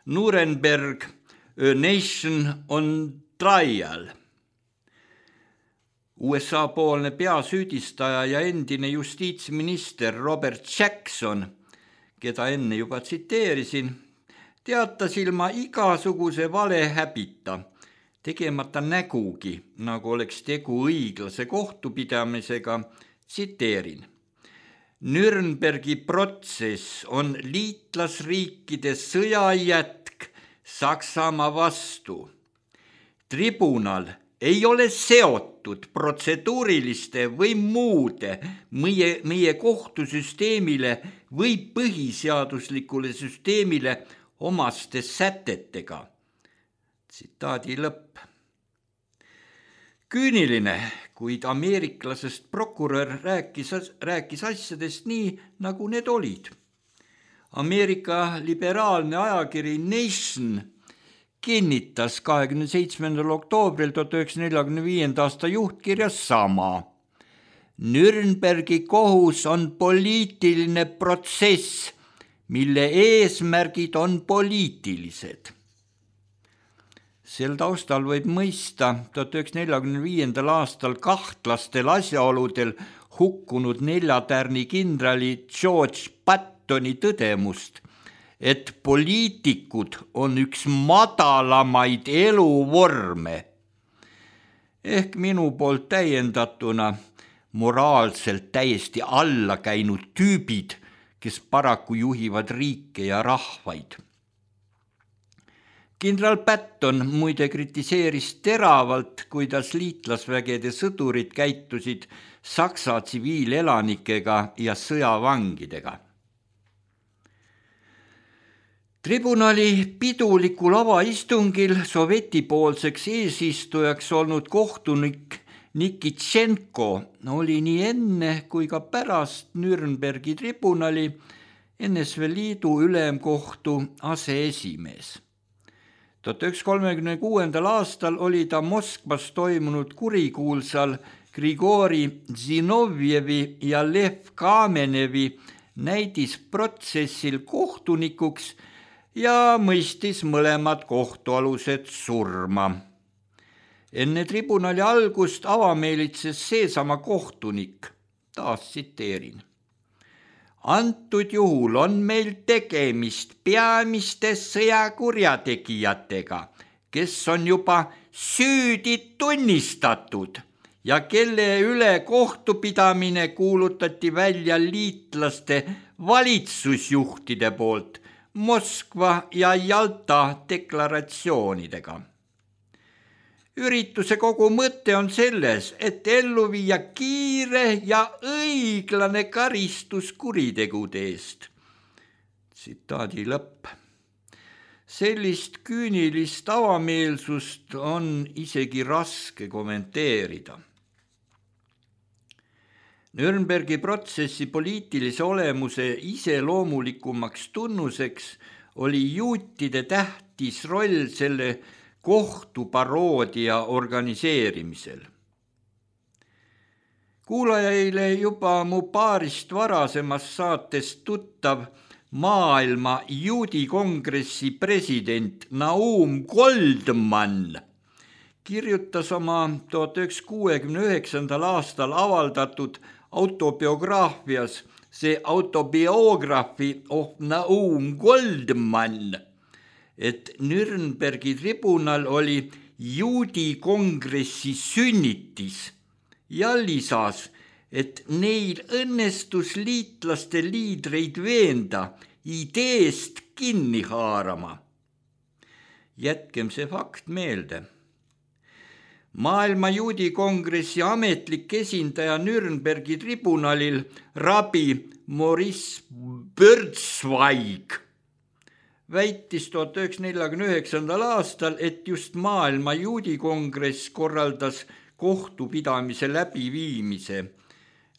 D: Nuremberg, A Nation on Trial. USA-poolne peasüüdistaja ja endine justiitsminister Robert Jackson, keda enne juba tsiteerisin, teatas ilma igasuguse valehäbita, tegemata nägugi, nagu oleks tegu õiglase kohtupidamisega, tsiteerin. Nürnbergi protsess on liitlasriikide sõjajätk Saksamaa vastu. Tribunal ei ole seotud protseduuriliste või muude meie kohtusüsteemile või põhiseaduslikule süsteemile omaste sätetega. Tsitaadi lõpp. Küüniline, kuid ameeriklasest prokurör rääkis asjadest nii, nagu need olid. Ameerika liberaalne ajakiri Nation kinnitas 27. oktoobril 1945. aasta juhtkirjas sama. Nürnbergi kohus on poliitiline protsess, mille eesmärgid on poliitilised. Sel taustal võib mõista 1945. aastal kahtlastel asjaoludel hukkunud 4 tärni kindrali George Pattoni tõdemust, et poliitikud on üks madalamaid eluvorme. Ehk minu poolt täiendatuna moraalselt täiesti alla käinud tüübid, kes paraku juhivad riike ja rahvaid. Kindral Patton muide kritiseeris teravalt, kuidas liitlasvägede sõdurid käitusid Saksa tsiviilelanikega ja sõjavangidega. Tribunali pidulikul avaistungil sovetipoolseks eesistujaks olnud kohtunik Nikitšenko oli nii enne kui ka pärast Nürnbergi tribunali NSV Liidu ülemkohtu aseesimees. 1936. aastal oli ta Moskvas toimunud kurikuulsal Grigori Zinovjevi ja Lev Kamenevi näidisprotsessil kohtunikuks ja mõistis mõlemad kohtualused surma. Enne tribunali algust avameelitses seesama kohtunik, taas tsiteerin. Antud juhul on meil tegemist peamiste sõjakurjategijatega, kes on juba süüdi tunnistatud ja kelle üle kohtupidamine kuulutati välja liitlaste valitsusjuhtide poolt Moskva ja Jalta deklaratsioonidega. Ürituse kogu mõte on selles, et ellu viia kiire ja õiglane karistus kuritegude eest. Tsitaadi lõpp. Sellist küünilist avameelsust on isegi raske kommenteerida. Nürnbergi protsessi poliitilise olemuse iseloomulikumaks tunnuseks oli juutide tähtis roll selle kohtuparoodia organiseerimisel. Kuulajaile juba mu paarist varasemast saatest tuttav maailma juudi kongressi president Naum Goldmann kirjutas oma 1969. aastal avaldatud autobiograafias The Autobiography of Naum Goldmann, et Nürnbergi tribunal oli juudi kongressi sünnitis ja lisas, et neil õnnestus liitlaste liidreid veenda ideest kinni haarama. Jätkem see fakt meelde. Maailma juudi kongressi ametlik esindaja Nürnbergi tribunalil rabi Maurice Birzweig väitis 1949. aastal, et just maailma juudi kongress korraldas kohtupidamise läbiviimise,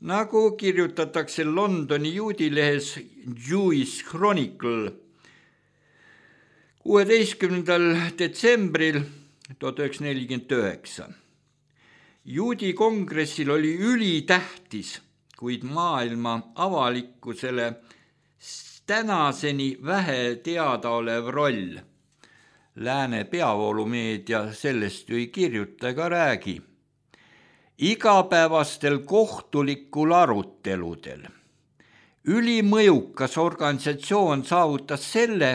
D: nagu kirjutatakse Londoni juudilehes Jewish Chronicle 16. detsembril 1949. Juudi kongressil oli ülitähtis, kuid maailma avalikkusele tänaseni vähe teadaolev roll. Lääne peavoolumeedia sellest ju ei kirjuta ega räägi. Igapäevastel kohtulikul aruteludel. Ülimõjukas organisatsioon saavutas selle,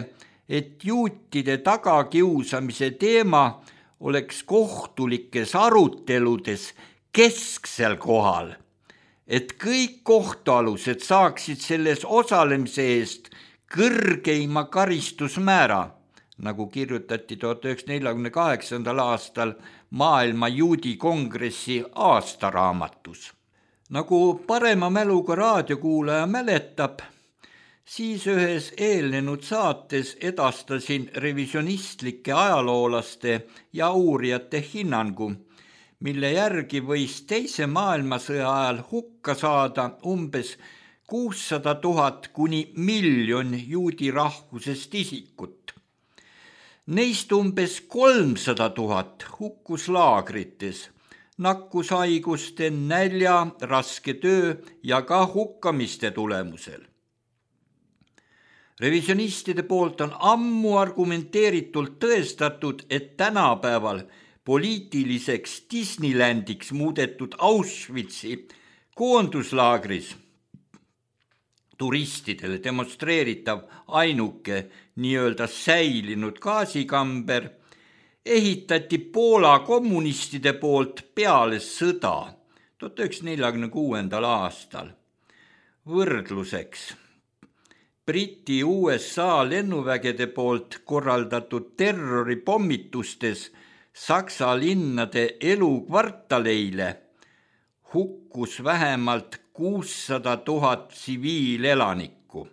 D: et juutide tagakiusamise teema oleks kohtulikes aruteludes kesksel kohal, et kõik kohtualused saaksid selles osalemise eest kõrgeima karistusmäära, nagu kirjutati 1948. aastal maailma juudi kongressi aastaraamatus. Nagu parema mäluga raadiokuulaja mäletab, siis ühes eelnenud saates edastasin revisionistlike ajaloolaste ja uurijate hinnangu, mille järgi võis teise maailmasõja ajal hukka saada umbes 600 000 kuni 1 miljon juudi rahvusest isikut. Neist umbes 300 000 hukkus laagrites, nakkushaiguste, nälja, raske töö ja ka hukkamiste tulemusel. Revisionistide poolt on ammu argumenteeritult tõestatud, et tänapäeval poliitiliseks Disneylandiks muudetud Auschwitzi koonduslaagris turistidele demonstreeritav ainuke nii-öelda säilinud gaasikamber ehitati Poola kommunistide poolt peale sõda 1946. aastal. Võrdluseks. Briti USA lennuvägede poolt korraldatud terroripommitustes Saksa linnade elukvartaleile hukkus vähemalt 600 000 tsiviilelanikku.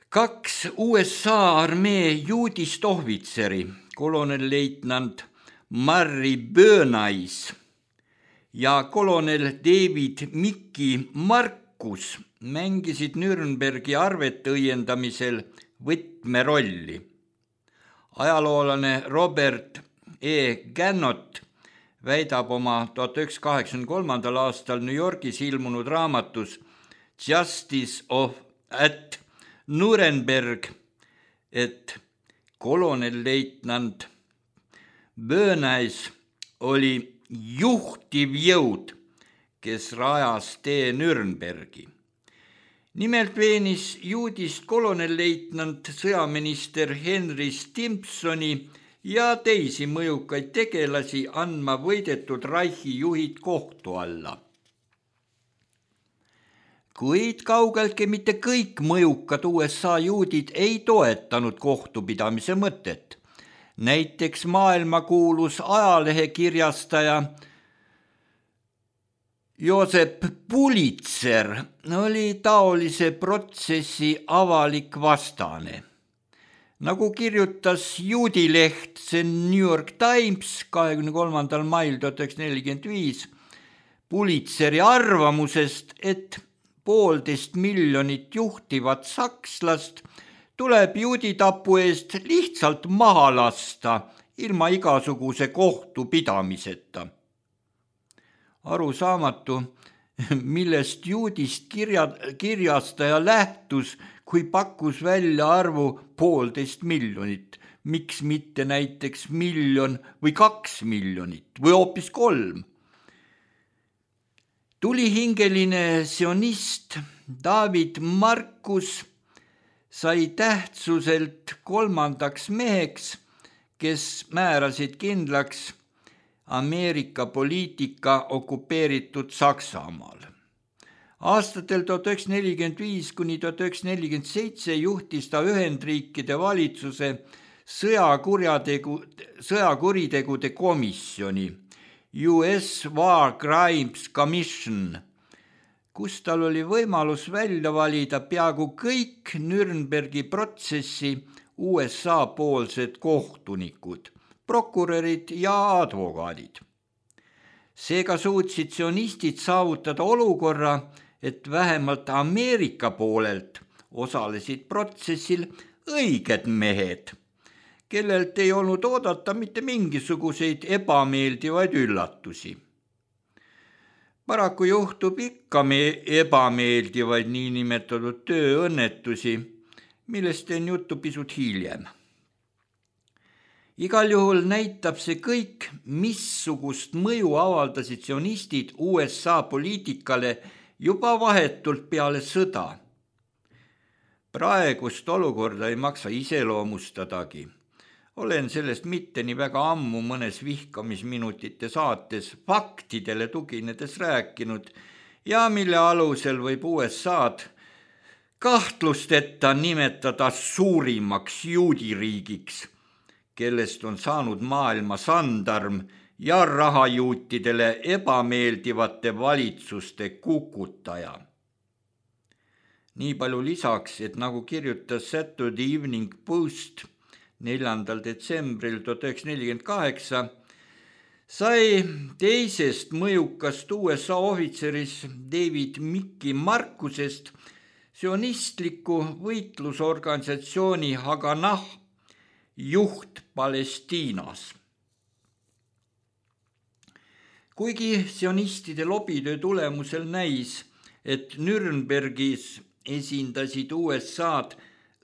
D: 2 USA armee juudist ohvitseri, kolonelleitnant Murray Burnais ja kolonel David Mickey Marcus mängisid Nürnbergi arvete õiendamisel võtmerolli. Ajaloolane Robert E. Gannott väidab oma 1983. aastal New Yorgis ilmunud raamatus Justice at Nuremberg, et kolonelleitnant Burnais oli juhtiv jõud, kes rajas tee Nürnbergi. Nimelt veenis juudist kolonelleitnant sõjaminister Henry Stimsoni ja teisi mõjukaid tegelasi andma võidetud Reichi juhid kohtu alla. Kuid kaugeltki mitte kõik mõjukad USA juudid ei toetanud kohtupidamise mõtet. Näiteks maailmakuulus ajalehekirjastaja Joseph Pulitzer oli taolise protsessi avalik vastane. Nagu kirjutas juudileht The New York Times 23. mail 1945 Pulitzeri arvamusest, et 1,5 miljonit juhtivat sakslast tuleb juuditapu eest lihtsalt maha lasta ilma igasuguse kohtupidamiseta. Arusaamatu, millest juudist kirjastaja lähtus, kui pakkus välja arvu 1,5 miljonit, miks mitte näiteks 1 miljon või 2 miljonit või hoopis 3. Tulihingeline sionist David Marcus sai tähtsuselt 3. meheks, kes määrasid kindlaks Ameerika poliitika okupeeritud Saksamaal. Aastatel 1945 kuni 1947 juhtis ta Ühendriikide valitsuse sõjakuritegude komisjoni US War Crimes Commission, kus tal oli võimalus välja valida peaaegu kõik Nürnbergi protsessi USA poolsed kohtunikud, prokurörid ja advokaadid. Seega suutsid sionistid saavutada olukorra, et vähemalt Ameerika poolelt osalesid protsessil õiged mehed, kellelt ei olnud oodata mitte mingisuguseid ebameeldivaid üllatusi. Paraku juhtub ikka ebameeldivaid niinimetatud tööõnnetusi, millest teen juttu pisut hiljem. Igal juhul näitab see kõik, missugust mõju avaldasid sionistid USA poliitikale juba vahetult peale sõda. Praegust olukorda ei maksa iseloomustadagi. Olen sellest mitte nii väga ammu mõnes vihkamisminutite saates faktidele tuginedes rääkinud ja mille alusel võib USA'd kahtlusteta nimetada suurimaks juudiriigiks, kellest on saanud maailma sandarm ja rahajuutidele ebameeldivate valitsuste kukutaja. Nii palju lisaks, et nagu kirjutas Saturday Evening Post 4. detsembril 1948, sai teisest mõjukast USA ohvitserist David Mickey Marcusest sionistliku võitlusorganisatsiooni Haganah juht Palestiinas. Kuigi sionistide lobitöö tulemusel näis, et Nürnbergis esindasid USA'd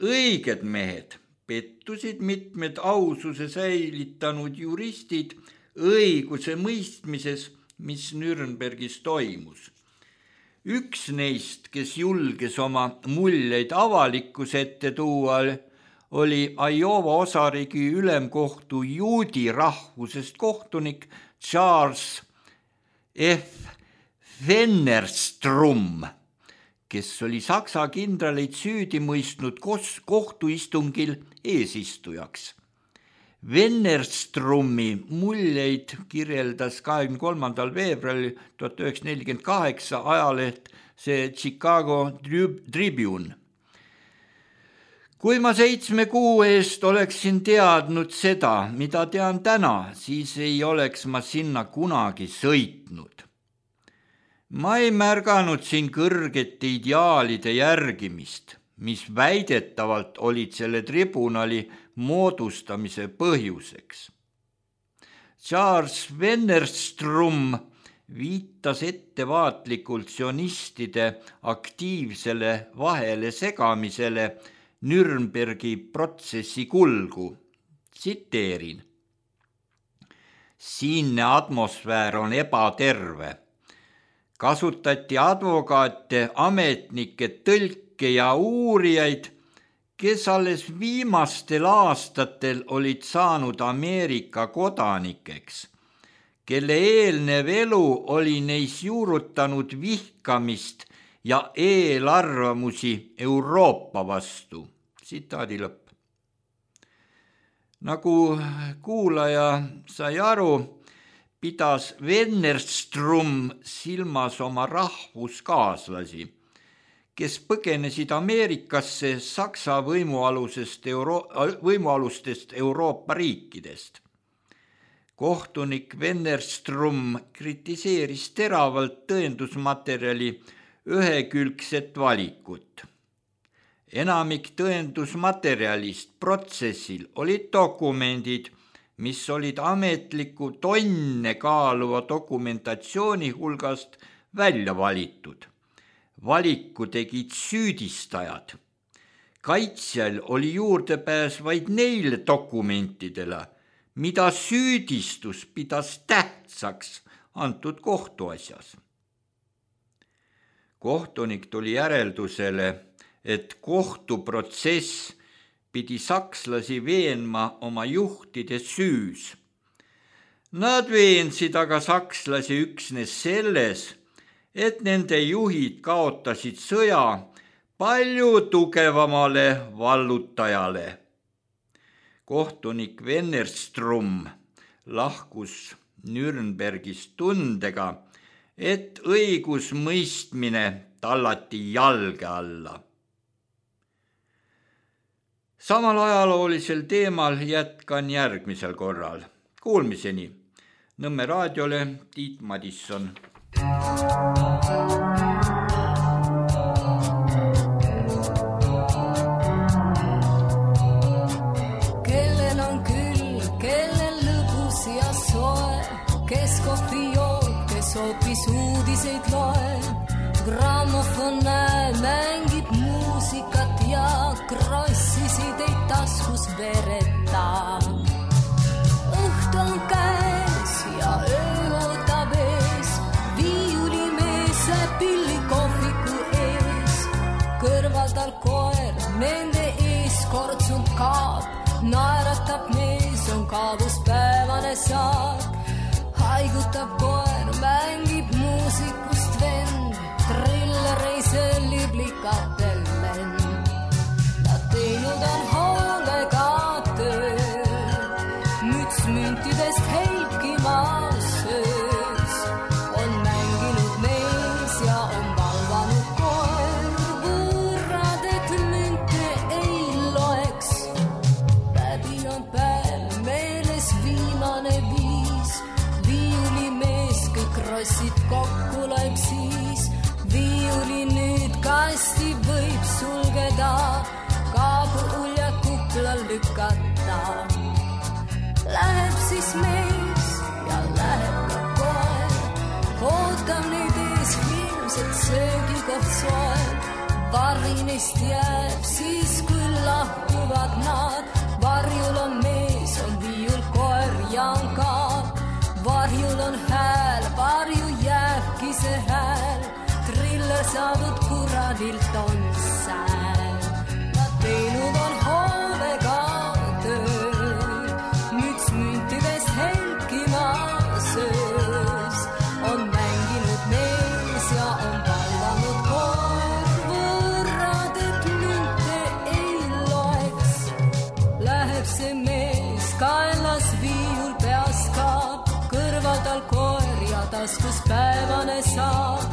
D: õiged mehed, pettusid mitmed aususe säilitanud juristid õiguse mõistmises, mis Nürnbergis toimus. Üks neist, kes julges oma muljeid avalikkuse ette tuua, oli Iowa osariigi ülemkohtu juudi rahvusest kohtunik Charles F. Wennerstrom, kes oli Saksa kindraleid süüdi mõistnud kohtuistungil eesistujaks. Wennerstromi muljeid kirjeldas 23. veebruaril 1948 ajaleht see Chicago Tribune. Kui ma 7 kuu eest oleksin teadnud seda, mida tean täna, siis ei oleks ma sinna kunagi sõitnud. Ma ei märganud siin kõrgete ideaalide järgimist, mis väidetavalt olid selle tribunali moodustamise põhjuseks. Charles Wennerstrom viitas ettevaatlikult sionistide aktiivsele vahele segamisele Nürnbergi protsessi kulgu. Tsiteerin. Siinne atmosfäär on ebaterve. Kasutati advokaate, ametnikke, tõlke ja uurijaid, kes alles viimastel aastatel olid saanud Ameerika kodanikeks, kelle eelnev elu oli neis juurutanud vihkamist ja eelarvamusi Euroopa vastu. Tsitaadi lõpp. Nagu kuulaja sai aru, pidas Wennerström silmas oma rahvuskaaslasi, kes põgenesid Ameerikasse Saksa võimualustest Euroopa riikidest. Kohtunik Wennerström kritiseeris teravalt tõendusmaterjali ühekülgset valikut. Enamik tõendusmaterjalist protsessil olid dokumendid, mis olid ametliku tonne kaaluva dokumentatsiooni hulgast välja valitud. Valiku tegid süüdistajad. Kaitsjal oli juurdepääs vaid neile dokumentidele, mida süüdistus pidas tähtsaks antud kohtuasjas. Kohtunik tuli järeldusele, et kohtuprotsess pidi sakslasi veenma oma juhtide süüs. Nad veensid aga sakslasi üksnes selles, et nende juhid kaotasid sõja palju tugevamale vallutajale. Kohtunik Wennerström lahkus Nürnbergist tundega, et õigusmõistmine tallati jalge alla. Samal ajaloolisel teemal jätkan järgmisel korral. Kuulmiseni. Nõmme raadiole Tiit Madisson.
E: Kellel on küll, kellel lõbus ja soe, kes kohvi joob, kes hoopis uudiseid loeb. Grammofon mängib muusikat ja krossisid ei taskus vereta. Õht on käes ja öö ootab ees, viiulimees pilli kohviku ees. Kõrval tal koer, nende ees kortsunud kaab, naeratab mees, on kaabus päevane saak. Haigutab koer, mängib muusikust vend, trillereise liblikatel lend. Nad teinud on hoolega tööd, müts müntidest helkimas söös. On mänginud mees ja on valvanud koer, võrrad, et münte ei loeks. Läbi on päev, meeles viimane viis, viiulimees kõik rossid kokku laib siis. Viiuli nüüd kasti võib sulgeda, kaabu ulja kuplal lükata. Läheb siis mees ja läheb ka koer, ootab neid ees ilmselt söögikoht soel. Varri neist jääb siis, kui lahkuvad nad, varjul on mees, on viiul koer ja on kaak. Varjul on hääl, varju jääbki see hääl, triller saadud kuradilt on sääl. Nad teinud on hoovega tööd, müts müntidest helkimas öös. On mänginud mees ja on vallanud koer, võrrad, et münte ei loeks. Läheb see mees, kaelas viiul peas kaab, kõrval tal koer ja taskus päevane saak.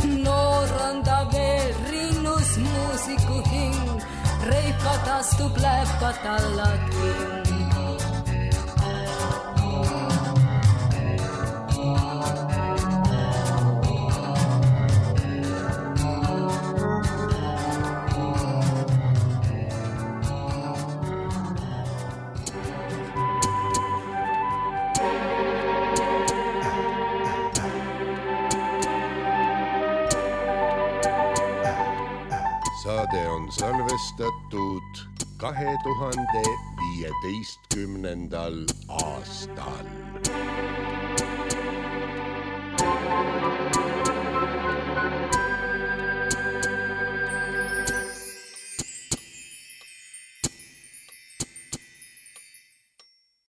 E: Noor on ta veel, rinnus muusiku hing, reipad astub läpad alla ting.
F: Saade on salvestatud 2015. aastal.